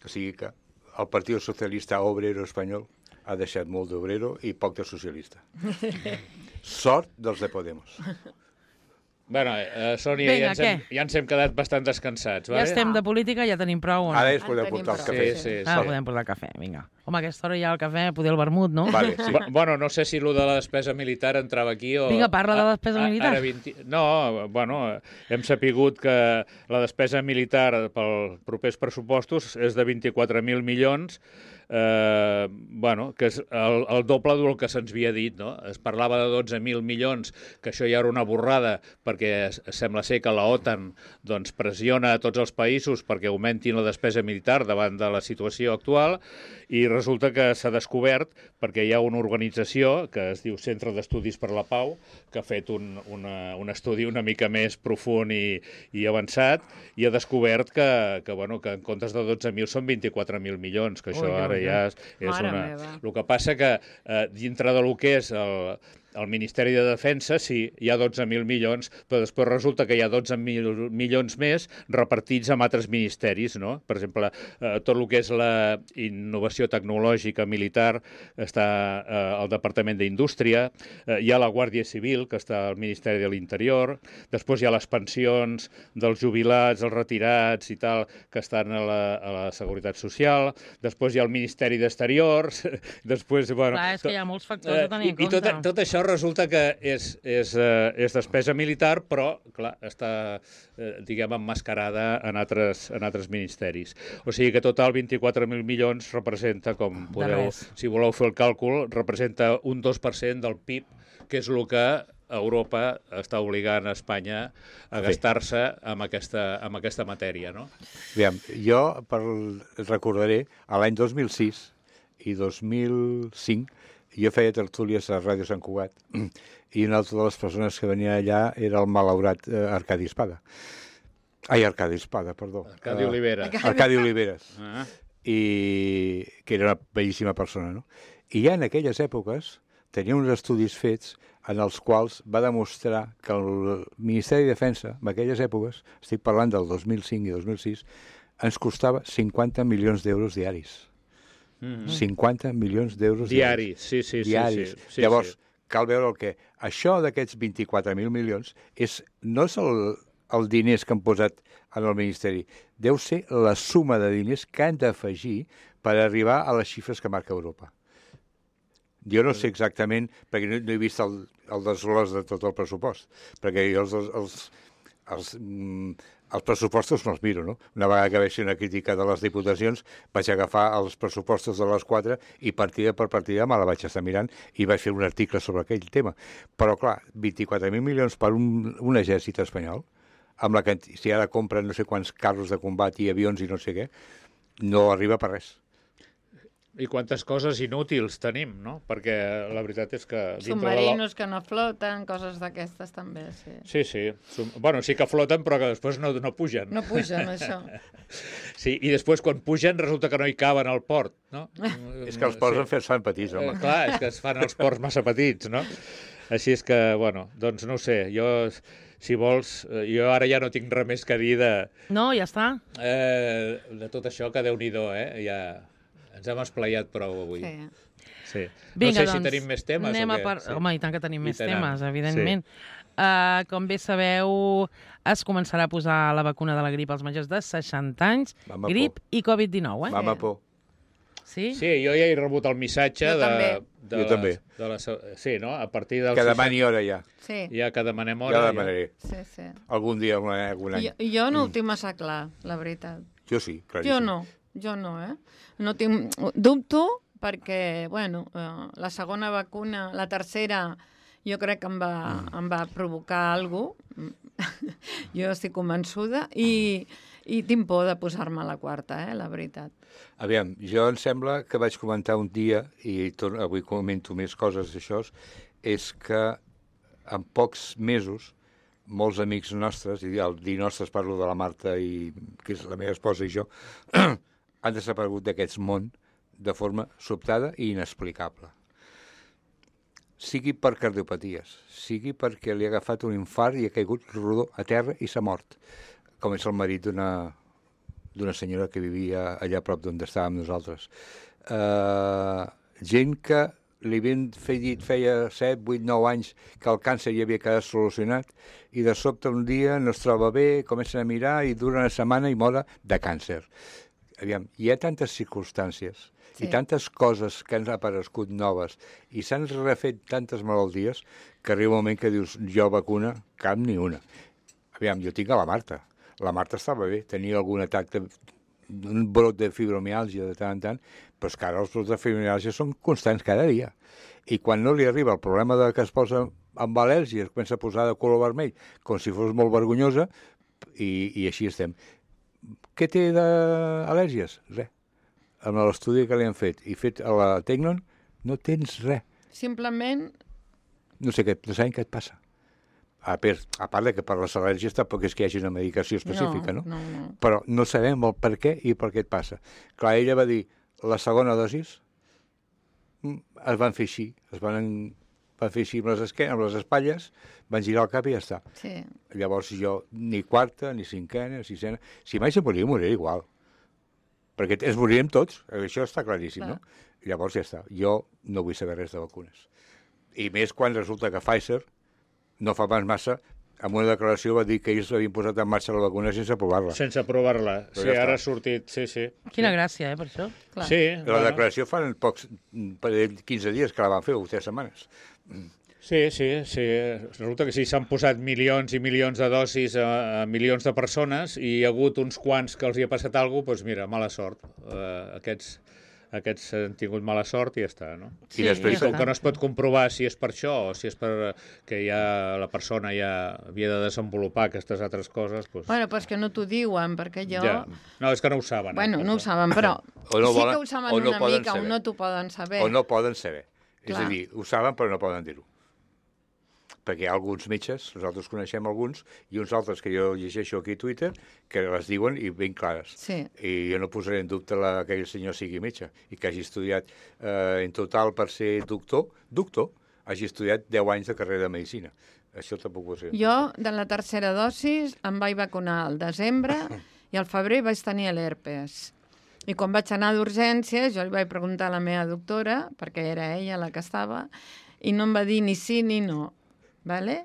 O sigui que el Partit Socialista Obrero Espanyol ha deixat molt d'obrero i poc de socialista. Sort dels de Podemos. Bueno, Sònia, Vinga, ja ens hem quedat bastant descansats. Ja estem de política, ja tenim prou. O no? Ara es podeu portar el cafè. Sí. Podem portar el cafè, vinga. Home, a aquesta hora ja el cafè, poder el vermut, no? Vale, sí. Bueno, no sé si allò de la despesa militar entrava aquí o... Vinga, parla de la despesa militar. No, bueno, hem sapigut que la despesa militar pels propers pressupostos és de 24.000 milions, que és el doble del que se'ns havia dit, no? Es parlava de 12.000 milions, que això ja era una borrada, perquè sembla ser que la OTAN doncs, pressiona a tots els països perquè augmentin la despesa militar davant de la situació actual, i resulta que s'ha descobert, perquè hi ha una organització que es diu Centre d'Estudis per la Pau, que ha fet un estudi una mica més profund i avançat, i ha descobert que en comptes de 12.000 són 24.000 milions, que això ara ja és Mare una... meva. El que passa que dintre del que és el Ministeri de Defensa, sí, hi ha 12.000 milions, però després resulta que hi ha 12.000 milions més repartits en altres ministeris, no? Per exemple, tot el que és la innovació tecnològica militar està al Departament d'Indústria, hi ha la Guàrdia Civil, que està al Ministeri de l'Interior, després hi ha les pensions dels jubilats, els retirats i tal, que estan a la Seguretat Social, després hi ha el Ministeri d'Exteriors, després... Bueno, clar, és que hi ha molts factors a tenir en compte. I tot això resulta que és despesa militar, però, clar, està, diguem, emmascarada en altres ministeris. O sigui que total 24.000 milions representa, com podeu, si voleu fer el càlcul, representa un 2% del PIB, que és el que Europa està obligant a Espanya a gastar-se amb aquesta matèria, no? Aviam, jo recordaré, a l'any 2006 i 2005, jo feia tertúlies a Ràdio Sant Cugat i una altra de les persones que venia allà era el malaurat Arcadi Espada. Ai, Arcadi Espada, perdó. Arcadi Olivera. Arcadi Oliveres. I que era una bellíssima persona, no? I ja en aquelles èpoques tenia uns estudis fets en els quals va demostrar que el Ministeri de Defensa, en aquelles èpoques, estic parlant del 2005 i 2006, ens costava 50 milions d'euros diaris. 50 milions d'euros diaris. Sí. Llavors, cal veure el que... Això d'aquests 24.000 milions no és el diners que han posat en el Ministeri. Deu ser la suma de diners que han d'afegir per arribar a les xifres que marca Europa. Jo no sé exactament, perquè no he vist el desglòs de tot el pressupost, perquè jo els pressupostos no els miro, no? Una vegada que vaig fer una crítica de les diputacions, vaig agafar els pressupostos de les 4 i partida per partida me la vaig estar mirant i vaig fer un article sobre aquell tema. Però, clar, 24.000 milions per un exèrcit espanyol, amb si ara compren no sé quants carros de combat i avions i no sé què, no arriba per res. I quantes coses inútils tenim, no? Perquè la veritat és que... Submarinos que no floten, coses d'aquestes també, sí. Sí. Bueno, sí que floten, però que després no pugen. No pugen, això. Sí, i després quan pugen resulta que no hi caben al port, no? És que els ports es fan petits, home. Clar, és que es fan els ports massa petits, no? Així és que, bueno, doncs no ho sé, si vols, jo ara ja no tinc res més que dir de... No, ja està. De tot això, que Déu-n'hi-do, ja... Ens hem esplaiat prou avui. Sí. Vinga, no sé si tenim més temes o què. Sí. Home, i tant que tenim més temes, evidentment. Sí. Com bé sabeu, es començarà a posar la vacuna de la grip als majors de 60 anys, grip i Covid-19, Mama por. Sí? Sí, jo ja he rebut el missatge Jo també. Sí, no? A partir del... Que demani hora ja. Sí. Ja que demanem hora. Ja demanaré. Sí. Algun dia, algun any. Jo no ho tinc massa clar, la veritat. Jo sí, claríssim. Jo no, No tinc... Dubto perquè, bueno, la segona vacuna, la tercera, jo crec que em va provocar alguna cosa. Jo estic convençuda i tinc por de posar-me la quarta, la veritat. Aviam, jo em sembla que vaig comentar un dia, i avui comento més coses d'això, és que en pocs mesos molts amics nostres, i al dir nostres parlo de la Marta, que és la meva esposa i jo, han desaparegut d'aquest món de forma sobtada i inexplicable. Sigui per cardiopaties, sigui perquè li ha agafat un infart i ha caigut rodó a terra i s'ha mort, com és el marit d'una senyora que vivia allà a prop d'on estàvem nosaltres. Gent que li havien dit feia 7, 8, 9 anys que el càncer ja havia quedat solucionat i de sobte un dia no es troba bé, comencen a mirar i dura una setmana i mora de càncer. Aviam, hi ha tantes circumstàncies i tantes coses que han aparegut noves i s'han refet tantes malalties que arriba un moment que dius, jo vacuna, cap ni una. Aviam, jo tinc a la Marta. La Marta estava bé, tenia algun atac un brot de fibromiàlgia de tant en tant, però és que ara els brots de fibromiàlgia són constants cada dia. I quan no li arriba el problema que es posa amb al·lèrgia, es comença a posar de color vermell, com si fos molt vergonyosa, i així estem. Què té d'al·lèrgies? Res. amb l'estudi que li han fet i fet a la Tecnon, no tens res. Simplement... No sé sabem què et passa. A part de que per les al·lèrgies tampoc és que hi hagi una medicació específica, no? No. Però no sabem el per què i per què et passa. Clar, ella va dir, la segona dosis es van fer així, van fer així amb les espatlles, van girar el cap i ja està. Sí. Llavors jo, ni quarta, ni cinquena, sisena... Si mai se moriré igual. Perquè es morirem tots, això està claríssim, no? Llavors ja està. Jo no vull saber res de vacunes. I més quan resulta que Pfizer, no fa pas massa, en una declaració va dir que ells havien posat en marxa la vacuna sense aprovar-la. Sense aprovar-la. Sí, ara ha sortit, sí. Quina gràcia, per això. Clar. Sí. La declaració fa pocs, per 15 dies que la van fer, o 3 setmanes. Sí. Resulta que sí, s'han posat milions i milions de dosis a milions de persones i hi ha hagut uns quants que els hi ha passat alguna cosa, doncs mira, mala sort. Aquests han tingut mala sort i ja està, no? Sí, I després, Com que no es pot comprovar si és per això o si és per que ja la persona ja havia de desenvolupar aquestes altres coses, doncs... Bueno, però és que no t'ho diuen, perquè jo... Ja. No, és que no ho saben. Bueno, no ho saben, però O no sí volen, que ho saben o no una poden mica, saber. o no t'ho poden saber. O no poden saber. És Clar. a dir, ho saben però no poden dir-ho. Perquè hi ha alguns metges, nosaltres coneixem alguns, i uns altres que jo llegeixo aquí a Twitter, que les diuen i ben clares. Sí. I jo no posaré en dubte que aquell senyor sigui metge i que hagi estudiat en total per ser doctor, hagi estudiat 10 anys de carrera de medicina. Això tampoc ho sé. Jo, de la tercera dosis, em vaig vacunar al desembre i al febrer vaig tenir l'herpes. I quan vaig anar d'urgències, jo li vaig preguntar a la meva doctora, perquè era ella la que estava, i no em va dir ni sí ni no. Vale?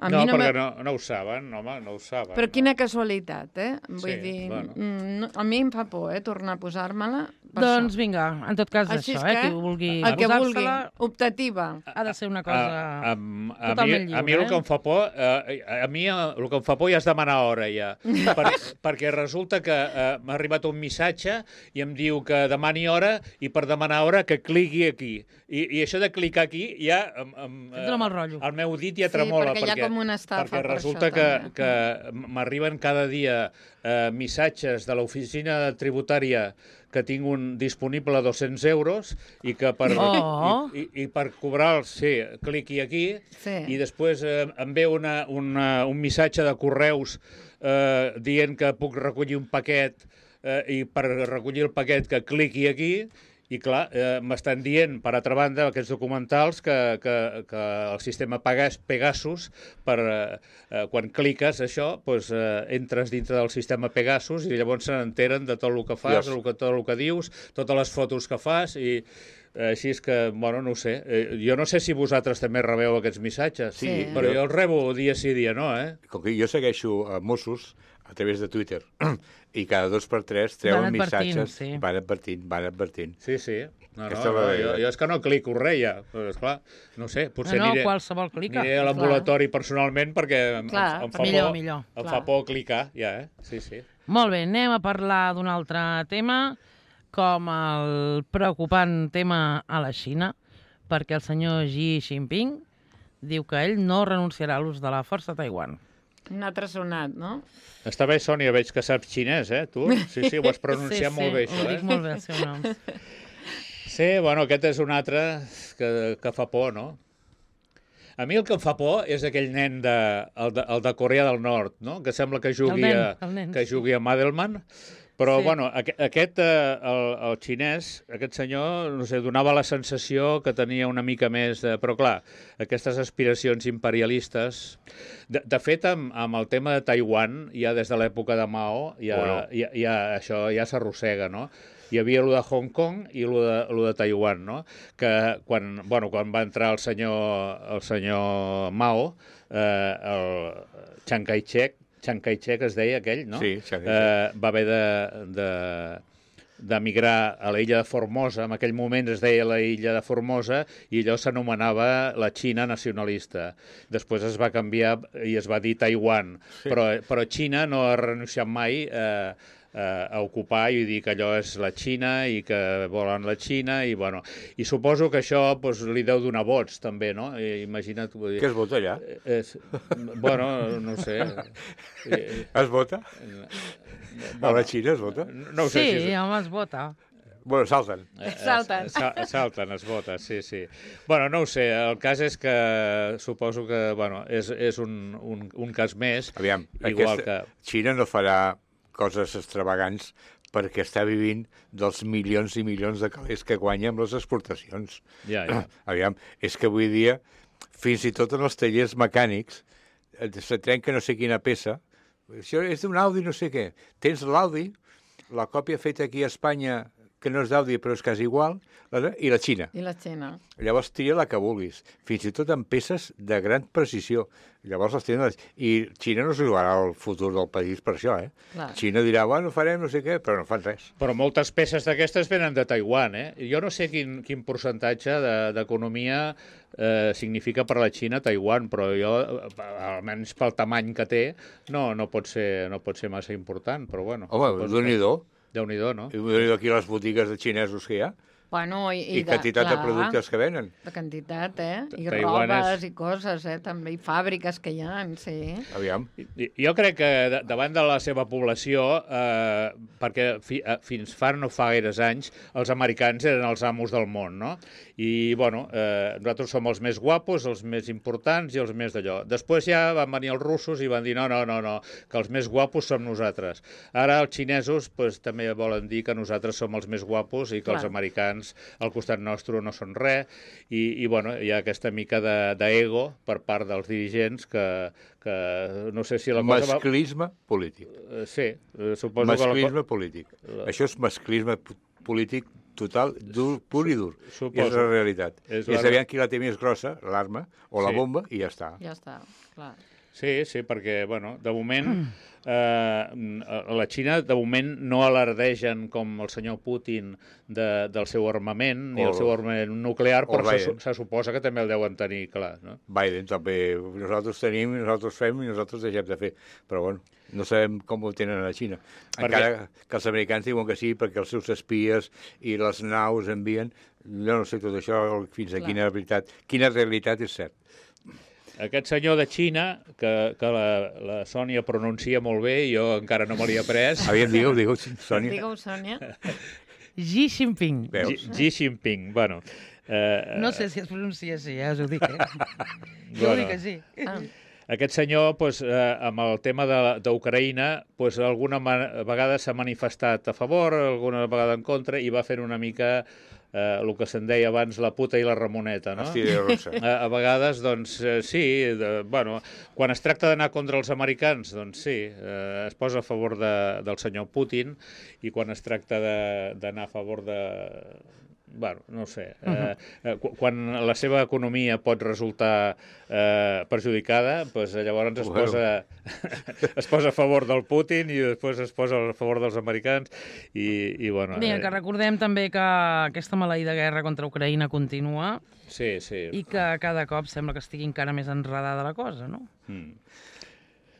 A No, mi perquè no ho saben, home, no ho saben. Però quina casualitat, Vull Sí, dir, bueno. a mi em fa por, tornar a posar-me-la. per Doncs això. vinga, en tot cas Així això, és que, qui vulgui el que vulgui, posar-se-la optativa. ha de ser una cosa a totalment lliure. mi el que em fa por, el que em fa por ja és demanar hora, ja. Perquè resulta que m'ha arribat un missatge i em diu que demani hora i per demanar hora que cliqui aquí. I això de clicar aquí ja... Et dona mal rotllo. El meu dit ja Sí, tremola. perquè hi ha com una estafa perquè per resulta això, també. que m'arriben cada dia missatges de l'oficina tributària que tinc disponible a 200 euros i que per, Oh. i per cobrar-los, sí, cliqui aquí Sí. i després em ve un missatge de correus dient que puc recollir un paquet i per recollir el paquet que cliqui aquí i clar, m'estan dient, per altra banda, aquests documentals que el sistema Pegasus, quan cliques això, doncs, entres dintre del sistema Pegasus i llavors se n'enteren de tot el que fas, tot el que dius, totes les fotos que fas i així és que, bueno, no ho sé. Jo no sé si vosaltres també rebeu aquests missatges, Sí. però jo els rebo dia sí, dia no, Com que jo segueixo a Mossos a través de Twitter i cada 2 per 3 treuen Van advertint, missatges, sí. van advertint. Sí. No, Aquesta és la jo realitat. és que no clico res ja, però esclar, no sé, potser No, aniré... qualsevol clica. Aniré a l'ambulatori personalment perquè Clar, em fa millor, por, millor. em Clar. fa por clicar, ja, Sí. Molt bé, anem a parlar d'un altre tema, com el preocupant tema a la Xina, perquè el senyor Xi Jinping diu que ell no renunciarà a l'ús de la força a Taiwan. Un altre sonat, no? Està bé, Sònia, veig que saps xinès, tu? Sí, ho has pronunciat molt bé, això, ho dic molt bé, el seu nom. Sí, bueno, aquest és un altre que fa por, no? A mi el que em fa por és aquell nen el de Corea del Nord, no? Que sembla que jugui, El nen, que sí. jugui a Madelman, però, Sí. bueno, aquest, el xinès, aquest senyor, no sé, donava la sensació que tenia una mica més de... Però, clar, aquestes aspiracions imperialistes... De fet, amb el tema de Taiwan, ja des de l'època de Mao, això ja s'arrossega, no? Hi havia lo de Hong Kong i lo de Taiwan, no? Que quan va entrar el senyor Mao, el Chiang Kai-shek es deia aquell, no? Sí, Chiang Kai-shek. Va haver d'emigrar a l'illa de Formosa, en aquell moment es deia la illa de Formosa, i allò s'anomenava la Xina nacionalista. Després es va canviar i es va dir Taiwan, però Xina no ha renunciat mai a ocupar i dir que allò és la Xina i que volen la Xina i, bueno, i suposo que això li deu donar vots també, no? Imagina't... Què es vota allà? Bueno, no sé. Es vota? A la Xina es vota? No ho sé Sí, home, es vota. Bueno, salten. Salten. Salten, es vota, sí, sí. Bueno, no ho sé, el cas és que suposo que, bueno, és un cas més. Aviam, igual que... Xina no farà coses extravagants perquè està vivint dels milions i milions de calés que guanya amb les exportacions. Ja. Aviam, és que avui dia, fins i tot en els tallers mecànics, se trenca no sé quina peça, això és d'un Audi no sé què. Tens l'Audi, la còpia feta aquí a Espanya, que no és d'Audi però és quasi igual, i la Xina. I la Xina. Llavors tria la que vulguis, fins i tot amb peces de gran precisió. Llavors les tenen... I Xina no s'hi jugarà el futur del país per això, eh? Clar. Xina dirà, bueno, farem no sé què, però no fan res. Però moltes peces d'aquestes venen de Taiwan, eh? Jo no sé quin percentatge d'economia significa per la Xina Taiwan, però jo, almenys pel tamany que té, no pot ser massa important, però bueno. Home, Déu-n'hi-do. Déu-n'hi-do, no? I Déu-n'hi-do aquí les botigues de xinesos que hi ha. Bueno, I quantitat de productes que venen. De quantitat, I Taiwan robes i coses, també, i fàbriques que hi ha, sí. Aviam. Jo crec que davant de la seva població, perquè fins fa no fa gaires anys, els americans eren els amos del món, no? I, bueno, nosaltres som els més guapos, els més importants i els més d'allò. Després ja van venir els russos i van dir no, que els més guapos som nosaltres. Ara els xinesos també volen dir que nosaltres som els més guapos i que els americans al costat nostre no són res, i bueno, hi ha aquesta mica d'ego per part dels dirigents que no sé si la cosa... Masclisme polític. Sí, suposo masclisme polític. Això és masclisme polític total, pur i dur. Suposo. És la realitat. És aviam qui la té més grossa, l'arma o la bomba, i ja està. Ja està, clar. Sí, perquè, bueno, de moment... la Xina, de moment, no alardegen com el senyor Putin del seu armament, ni el seu armament nuclear, però se suposa que també el deuen tenir, clar, no? Biden també. Nosaltres tenim, nosaltres fem i nosaltres deixem de fer. Però, bueno, no sabem com ho tenen a la Xina. Encara que els americans diuen que sí, perquè els seus espies i les naus envien... Jo no sé tot això, fins a quina realitat és cert. Aquest senyor de Xina, que la Sònia pronuncia molt bé, jo encara no me l'hi he après. Aviam, digueu, Sònia. Digueu, Sònia. Xi Jinping. Xi Jinping, bueno. No sé si es pronuncia així, ja us ho dic, Jo dic que sí. Aquest senyor, amb el tema d'Ucraïna, alguna vegada s'ha manifestat a favor, alguna vegada en contra, i va fer una mica... el que se'n deia abans la puta i la Ramoneta, no? A vegades, doncs, sí, bueno, quan es tracta d'anar contra els americans, doncs sí, es posa a favor del senyor Putin, i quan es tracta d'anar a favor de... Bueno, no sé, quan la seva economia pot resultar perjudicada, doncs llavors es posa a favor del Putin i després es posa a favor dels americans i bueno... Bé, que recordem també que aquesta maleïda guerra contra Ucraïna continua i que cada cop sembla que estigui encara més enredada la cosa, no?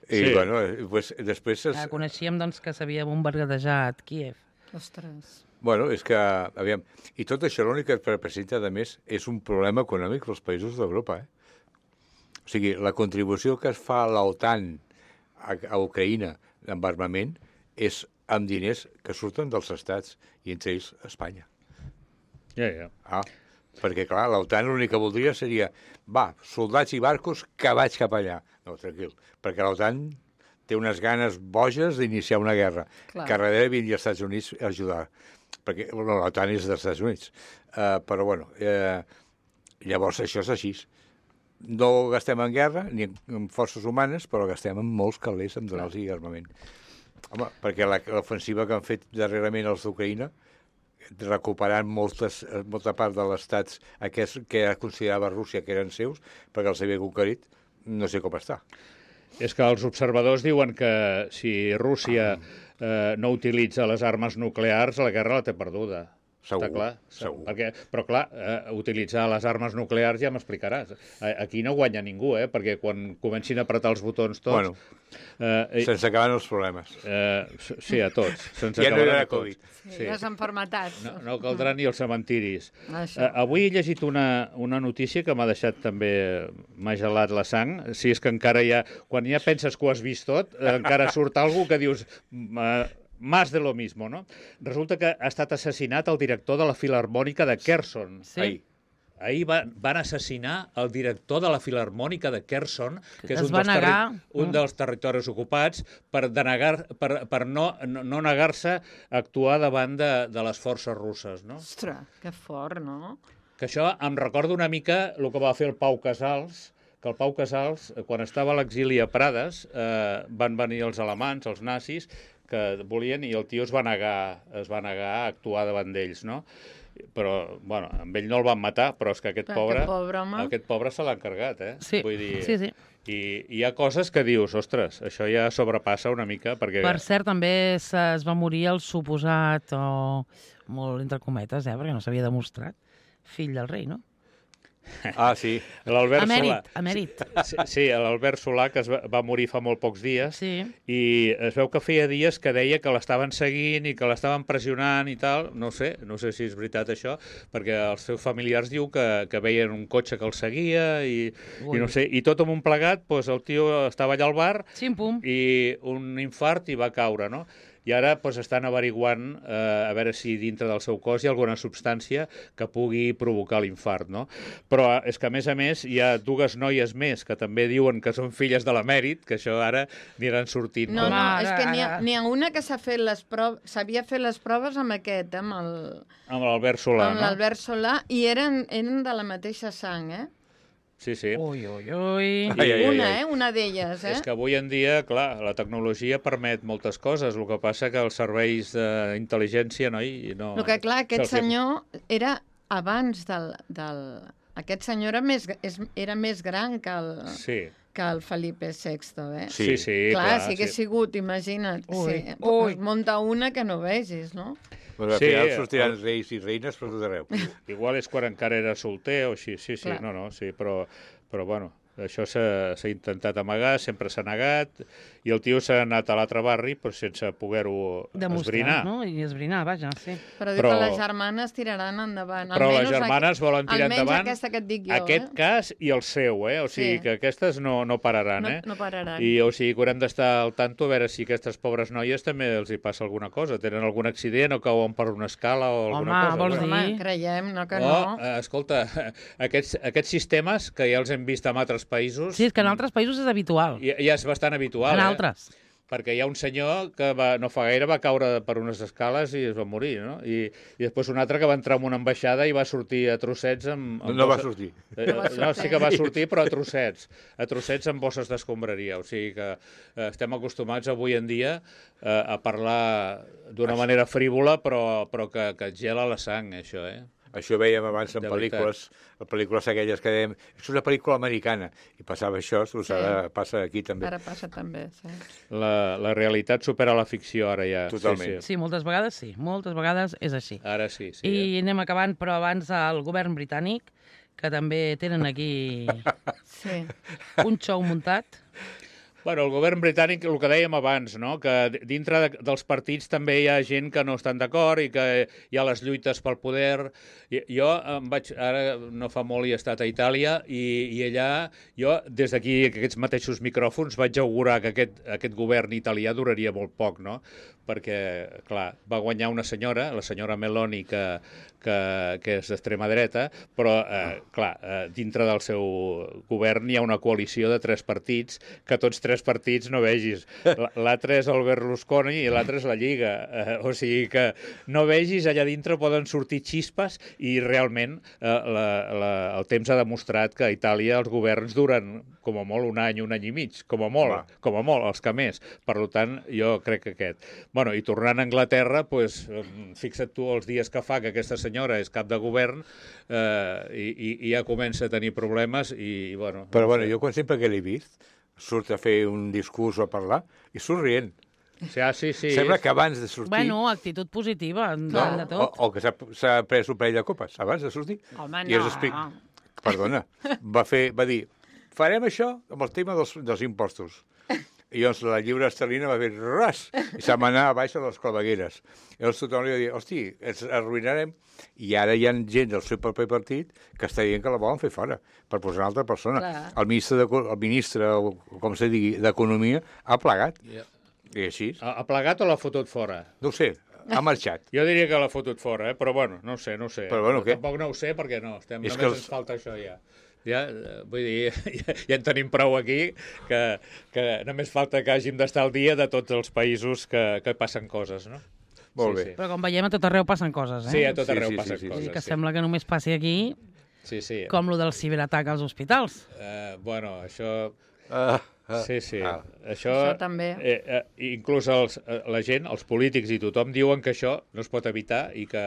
I bueno, després... Coneixíem doncs que s'havia bombardejat Kíev. Ostres... Bueno, és que, aviam, i tot això l'únic que representa, a més, és un problema econòmic dels països d'Europa, O sigui, la contribució que es fa a l'OTAN a Ucraïna amb armament és amb diners que surten dels estats, i entre ells Espanya. Perquè, clar, l'OTAN l'únic que voldria seria, soldats i barcos que vaig cap allà. No, tranquil, perquè l'OTAN té unes ganes boges d'iniciar una guerra, que a darrere vindria als Estats Units a ajudar. Perquè l'OTAN és dels Estats Units. Però, bueno, llavors això és així. No gastem en guerra ni en forces humanes, però gastem en molts calés en donar-los armament. Home, perquè l'ofensiva que han fet darrerament els d'Ucraïna, recuperant molta part de l'estats que considerava Rússia que eren seus, perquè els havia conquerit, no sé com està. És que els observadors diuen que si Rússia no utilitza les armes nuclears, la guerra la té perduda. Segur, està clar? segur. Però clar, utilitzar les armes nuclears ja m'explicaràs. Aquí no guanya ningú, perquè quan comencin a apretar els botons tots... Bueno, se'ns acaben els problemes. Sí, a tots. Ja no hi haurà Covid. Sí, les enfermetats. No caldrà ni els cementiris. Avui he llegit una notícia que m'ha deixat també... m'ha gelat la sang. Si és que encara quan ja penses que ho has vist tot, encara surt algú que dius... más de lo mismo, no? Resulta que ha estat assassinat el director de la Filarmònica de Kherson. Sí. Ahir van assassinar el director de la Filarmònica de Kherson, que és Es va negar. un dels territoris ocupats, per no negar-se a actuar davant de les forces russes, no? Ostres, que fort, no? Que això em recorda una mica el que va fer el Pau Casals, que el Pau Casals, quan estava a l'exili a Prades, van venir els alemans, els nazis, que volien, i el tio es va negar a actuar davant d'ells, no? Però, bueno, amb ell no el van matar, però és que aquest pobre se l'ha encarregat, eh? Sí, Vull dir, sí. I hi ha coses que dius, ostres, això ja sobrepassa una mica, perquè... Per cert, també es va morir el suposat, o molt entre cometes, perquè no s'havia demostrat, fill del rei, no? Ah, sí. L'Albert Solà. Emèrit. Sí, l'Albert Solà, que va morir fa molt pocs dies, Sí. i es veu que feia dies que deia que l'estaven seguint i que l'estaven pressionant i tal. No sé si és veritat això, perquè els seus familiars diu que veien un cotxe que el seguia i no sé, i tot amb un plegat, doncs el tio estava allà al bar Xim-pum. i un infart i va caure, no? I ara estan averiguant a veure si dintre del seu cos hi ha alguna substància que pugui provocar l'infart, no? Però és que, a més, hi ha dues noies més que també diuen que són filles de l'emèrit, que això ara aniran sortint. No, Home, és que ara- n'hi ha una que s'havia fet les proves amb aquest, amb l'Albert Solà, no? l'Albert Solà, i eren de la mateixa sang, eh? Sí, sí. Ui, ui, ui. Una d'elles, eh? És que avui en dia, clar, la tecnologia permet moltes coses, el que passa que els serveis d'intel·ligència no... El que, clar, aquest senyor era abans del... Aquest senyor era més gran que el Felipe VI, eh? Sí, Clar, si hagués sigut, imagina't, es munta una que no vegis, no? Però al final sortiran reis i reines per tot arreu. Igual és quan encara era solter o així, sí, Clar. sí, però bueno, això s'ha intentat amagar, sempre s'ha negat, i el tio s'ha anat a l'altre barri però sense poder-ho esbrinar. No? I esbrinar, vaja, sí. Però diu que les germanes tiraran endavant. Però les germanes volen tirar endavant almenys aquesta que et dic jo, aquest cas i el seu, eh? O sigui que aquestes no pararan, eh? No pararan. I o sigui que haurem d'estar al tanto a veure si aquestes pobres noies també els hi passa alguna cosa. Tenen algun accident o cauen per una escala o alguna cosa. vols dir? Home, creiem, no que no. Escolta, aquests sistemes que ja els hem vist en altres països... Sí, és que en altres països és habitual. Ja és bastant habitual, En altres. Perquè hi ha un senyor que no fa gaire va caure per unes escales i es va morir, no? I després un altre que va entrar en una ambaixada i va sortir a trossets amb... No va sortir. No, sí que va sortir, però a trossets amb bosses d'escombraria. O sigui que estem acostumats avui en dia a parlar d'una manera frívola, però que et gela la sang, això, eh? Això veiem abans en De pel·lícules aquelles que dèiem és una pel·lícula americana, i passava això, ara passa aquí també. Ara passa també, sí. La realitat supera la ficció ara ja. Totalment. Sí, moltes vegades és així. Ara sí. I anem acabant, però abans el govern britànic, que també tenen aquí un xou muntat. Bueno, el govern britànic, el que dèiem abans, no? Que dintre dels partits també hi ha gent que no estan d'acord i que hi ha les lluites pel poder. Jo ara no fa molt he estat a Itàlia i allà jo, des d'aquí, aquests mateixos micròfons, vaig augurar que aquest govern italià duraria molt poc, no? Perquè, clar, va guanyar una senyora, la senyora Meloni, que és d'extrema dreta, però, clar, dintre del seu govern hi ha una coalició de 3 partits, que tots 3 partits no vegis. L'altre és el Berlusconi i l'altre és la Lliga. O sigui que no vegis, allà dintre poden sortir xispes i realment el temps ha demostrat que a Itàlia els governs duren com a molt un any i mig, com a molt, els que més. Per tant, jo crec que aquest. Bueno, i tornant a Anglaterra, doncs, fixa't tu els dies que fa que aquesta senyora és cap de govern i ja comença a tenir problemes i, bueno... Però, bueno, jo sempre que l'he vist, surt a fer un discurs o a parlar i surt rient. Sí. Sembla que abans de sortir... Bueno, actitud positiva, de tot. O que s'ha pres un parell de copes abans de sortir. Home, I perdona, va dir, farem això amb el tema dels impostos. I llavors la lliura esterlina va fer ras i se'm anar a baix a les clavegueres. I llavors tothom li va dir, hosti, ens arruïnarem. I ara hi ha gent del seu propi partit que està dient que la volen fer fora per posar una altra persona. Clar. El ministre, com se digui, d'Economia ha plegat. I així? Ha plegat o l'ha fotut fora? No ho sé, ha marxat. Jo diria que l'ha fotut fora, però bueno, no sé. Però bueno, què? Tampoc no ho sé perquè no, És només que ens falta això ja. Ja, vull dir, ja en tenim prou aquí, que només falta que hàgim d'estar al dia de tots els països que passen coses, no? Molt bé. Sí. Però com veiem, a tot arreu passen coses, Sí, a eh? tot arreu Sí, passen sí. Vull dir coses. que sembla que només passi aquí, Sí. com lo del ciberatac als hospitals. Bueno, això... Sí. Ah. Això també. Inclús la gent, els polítics i tothom diuen que això no es pot evitar i que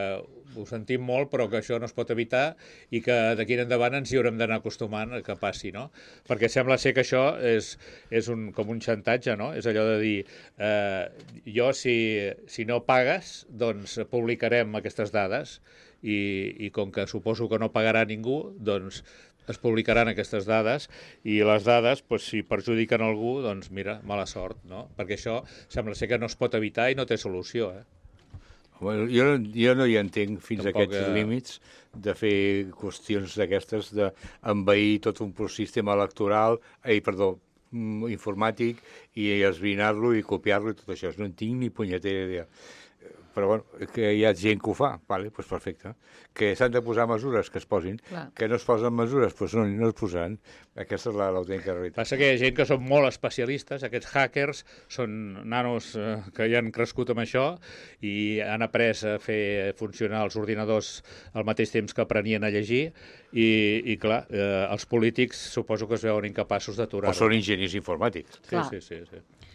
ho sentim molt, però que això no es pot evitar i que d'aquí en endavant ens hi haurem d'anar acostumant a que passi, no? Perquè sembla ser que això és com un xantatge, no? És allò de dir, jo si no pagues, doncs publicarem aquestes dades i com que suposo que no pagarà ningú, doncs es publicaran aquestes dades i les dades, doncs, si perjudiquen algú, doncs mira, mala sort, no? Perquè això sembla ser que no es pot evitar i no té solució, eh? Bueno, jo no hi entenc fins Tampoc, a aquests límits de fer qüestions d'aquestes, d'envair tot un sistema electoral, informàtic, i esbrinar-lo i copiar-lo i tot això. No en tinc ni punyetera idea. Però bueno, que hi ha gent que ho fa, vale, doncs perfecte. Que s'han de posar mesures, que es posin. Clar. Que no es posen mesures, doncs no es posaran. Aquesta és l'autèntica realitat. Passa que hi ha gent que són molt especialistes, aquests hackers són nanos que ja han crescut amb això i han après a fer funcionar els ordinadors al mateix temps que aprenien a llegir i clar, els polítics suposo que es veuen incapaços d'aturar-ho. O són enginyers informàtics. Clar. Sí.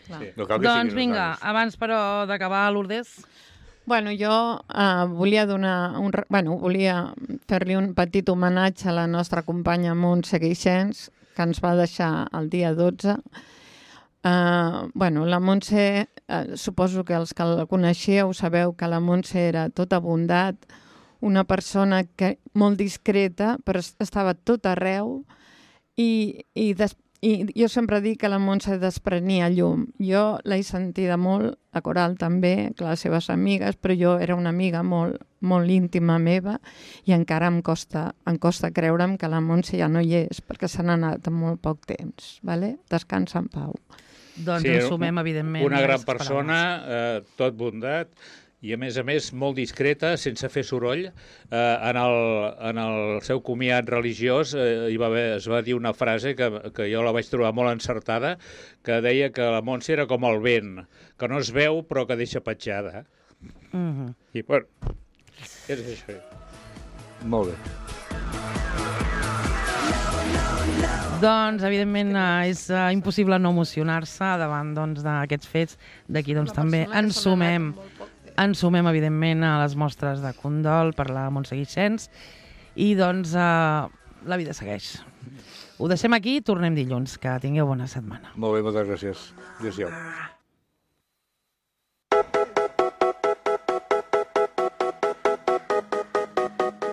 Clar. No cal que Doncs siguin vinga, uns nanos. abans però d'acabar, Lourdes, Bueno, jo volia volia fer-li un petit homenatge a la nostra companya Montse Guixens, que ens va deixar el dia 12. La Montse, suposo que els que la coneixeu sabeu que la Montse era tota bondat, una persona molt discreta, però estava tot arreu i jo sempre dic que la Montse desprenia llum. Jo l'he sentida molt, a Coral també, que les seves amigues, però jo era una amiga molt, molt íntima meva i encara em costa creure'm que la Montse ja no hi és, perquè se n'ha anat en molt poc temps. Vale? Descansa en pau. doncs ens sumem, evidentment. Una gran les persona, tot bondat, i a més, molt discreta, sense fer soroll. En el seu comiat religiós es va dir una frase que jo la vaig trobar molt encertada, que deia que la Montse era com el vent, que no es veu però que deixa petjada. Mhm. I, bueno, és això. Molt bé. Doncs, evidentment, és impossible no emocionar-se davant d'aquests fets. D'aquí també ens sumem, evidentment, a les mostres de condol per la Montse Guixens i, doncs, la vida segueix. Ho deixem aquí i tornem dilluns. Que tingueu bona setmana. Molt bé, moltes gràcies. Adéu-siau.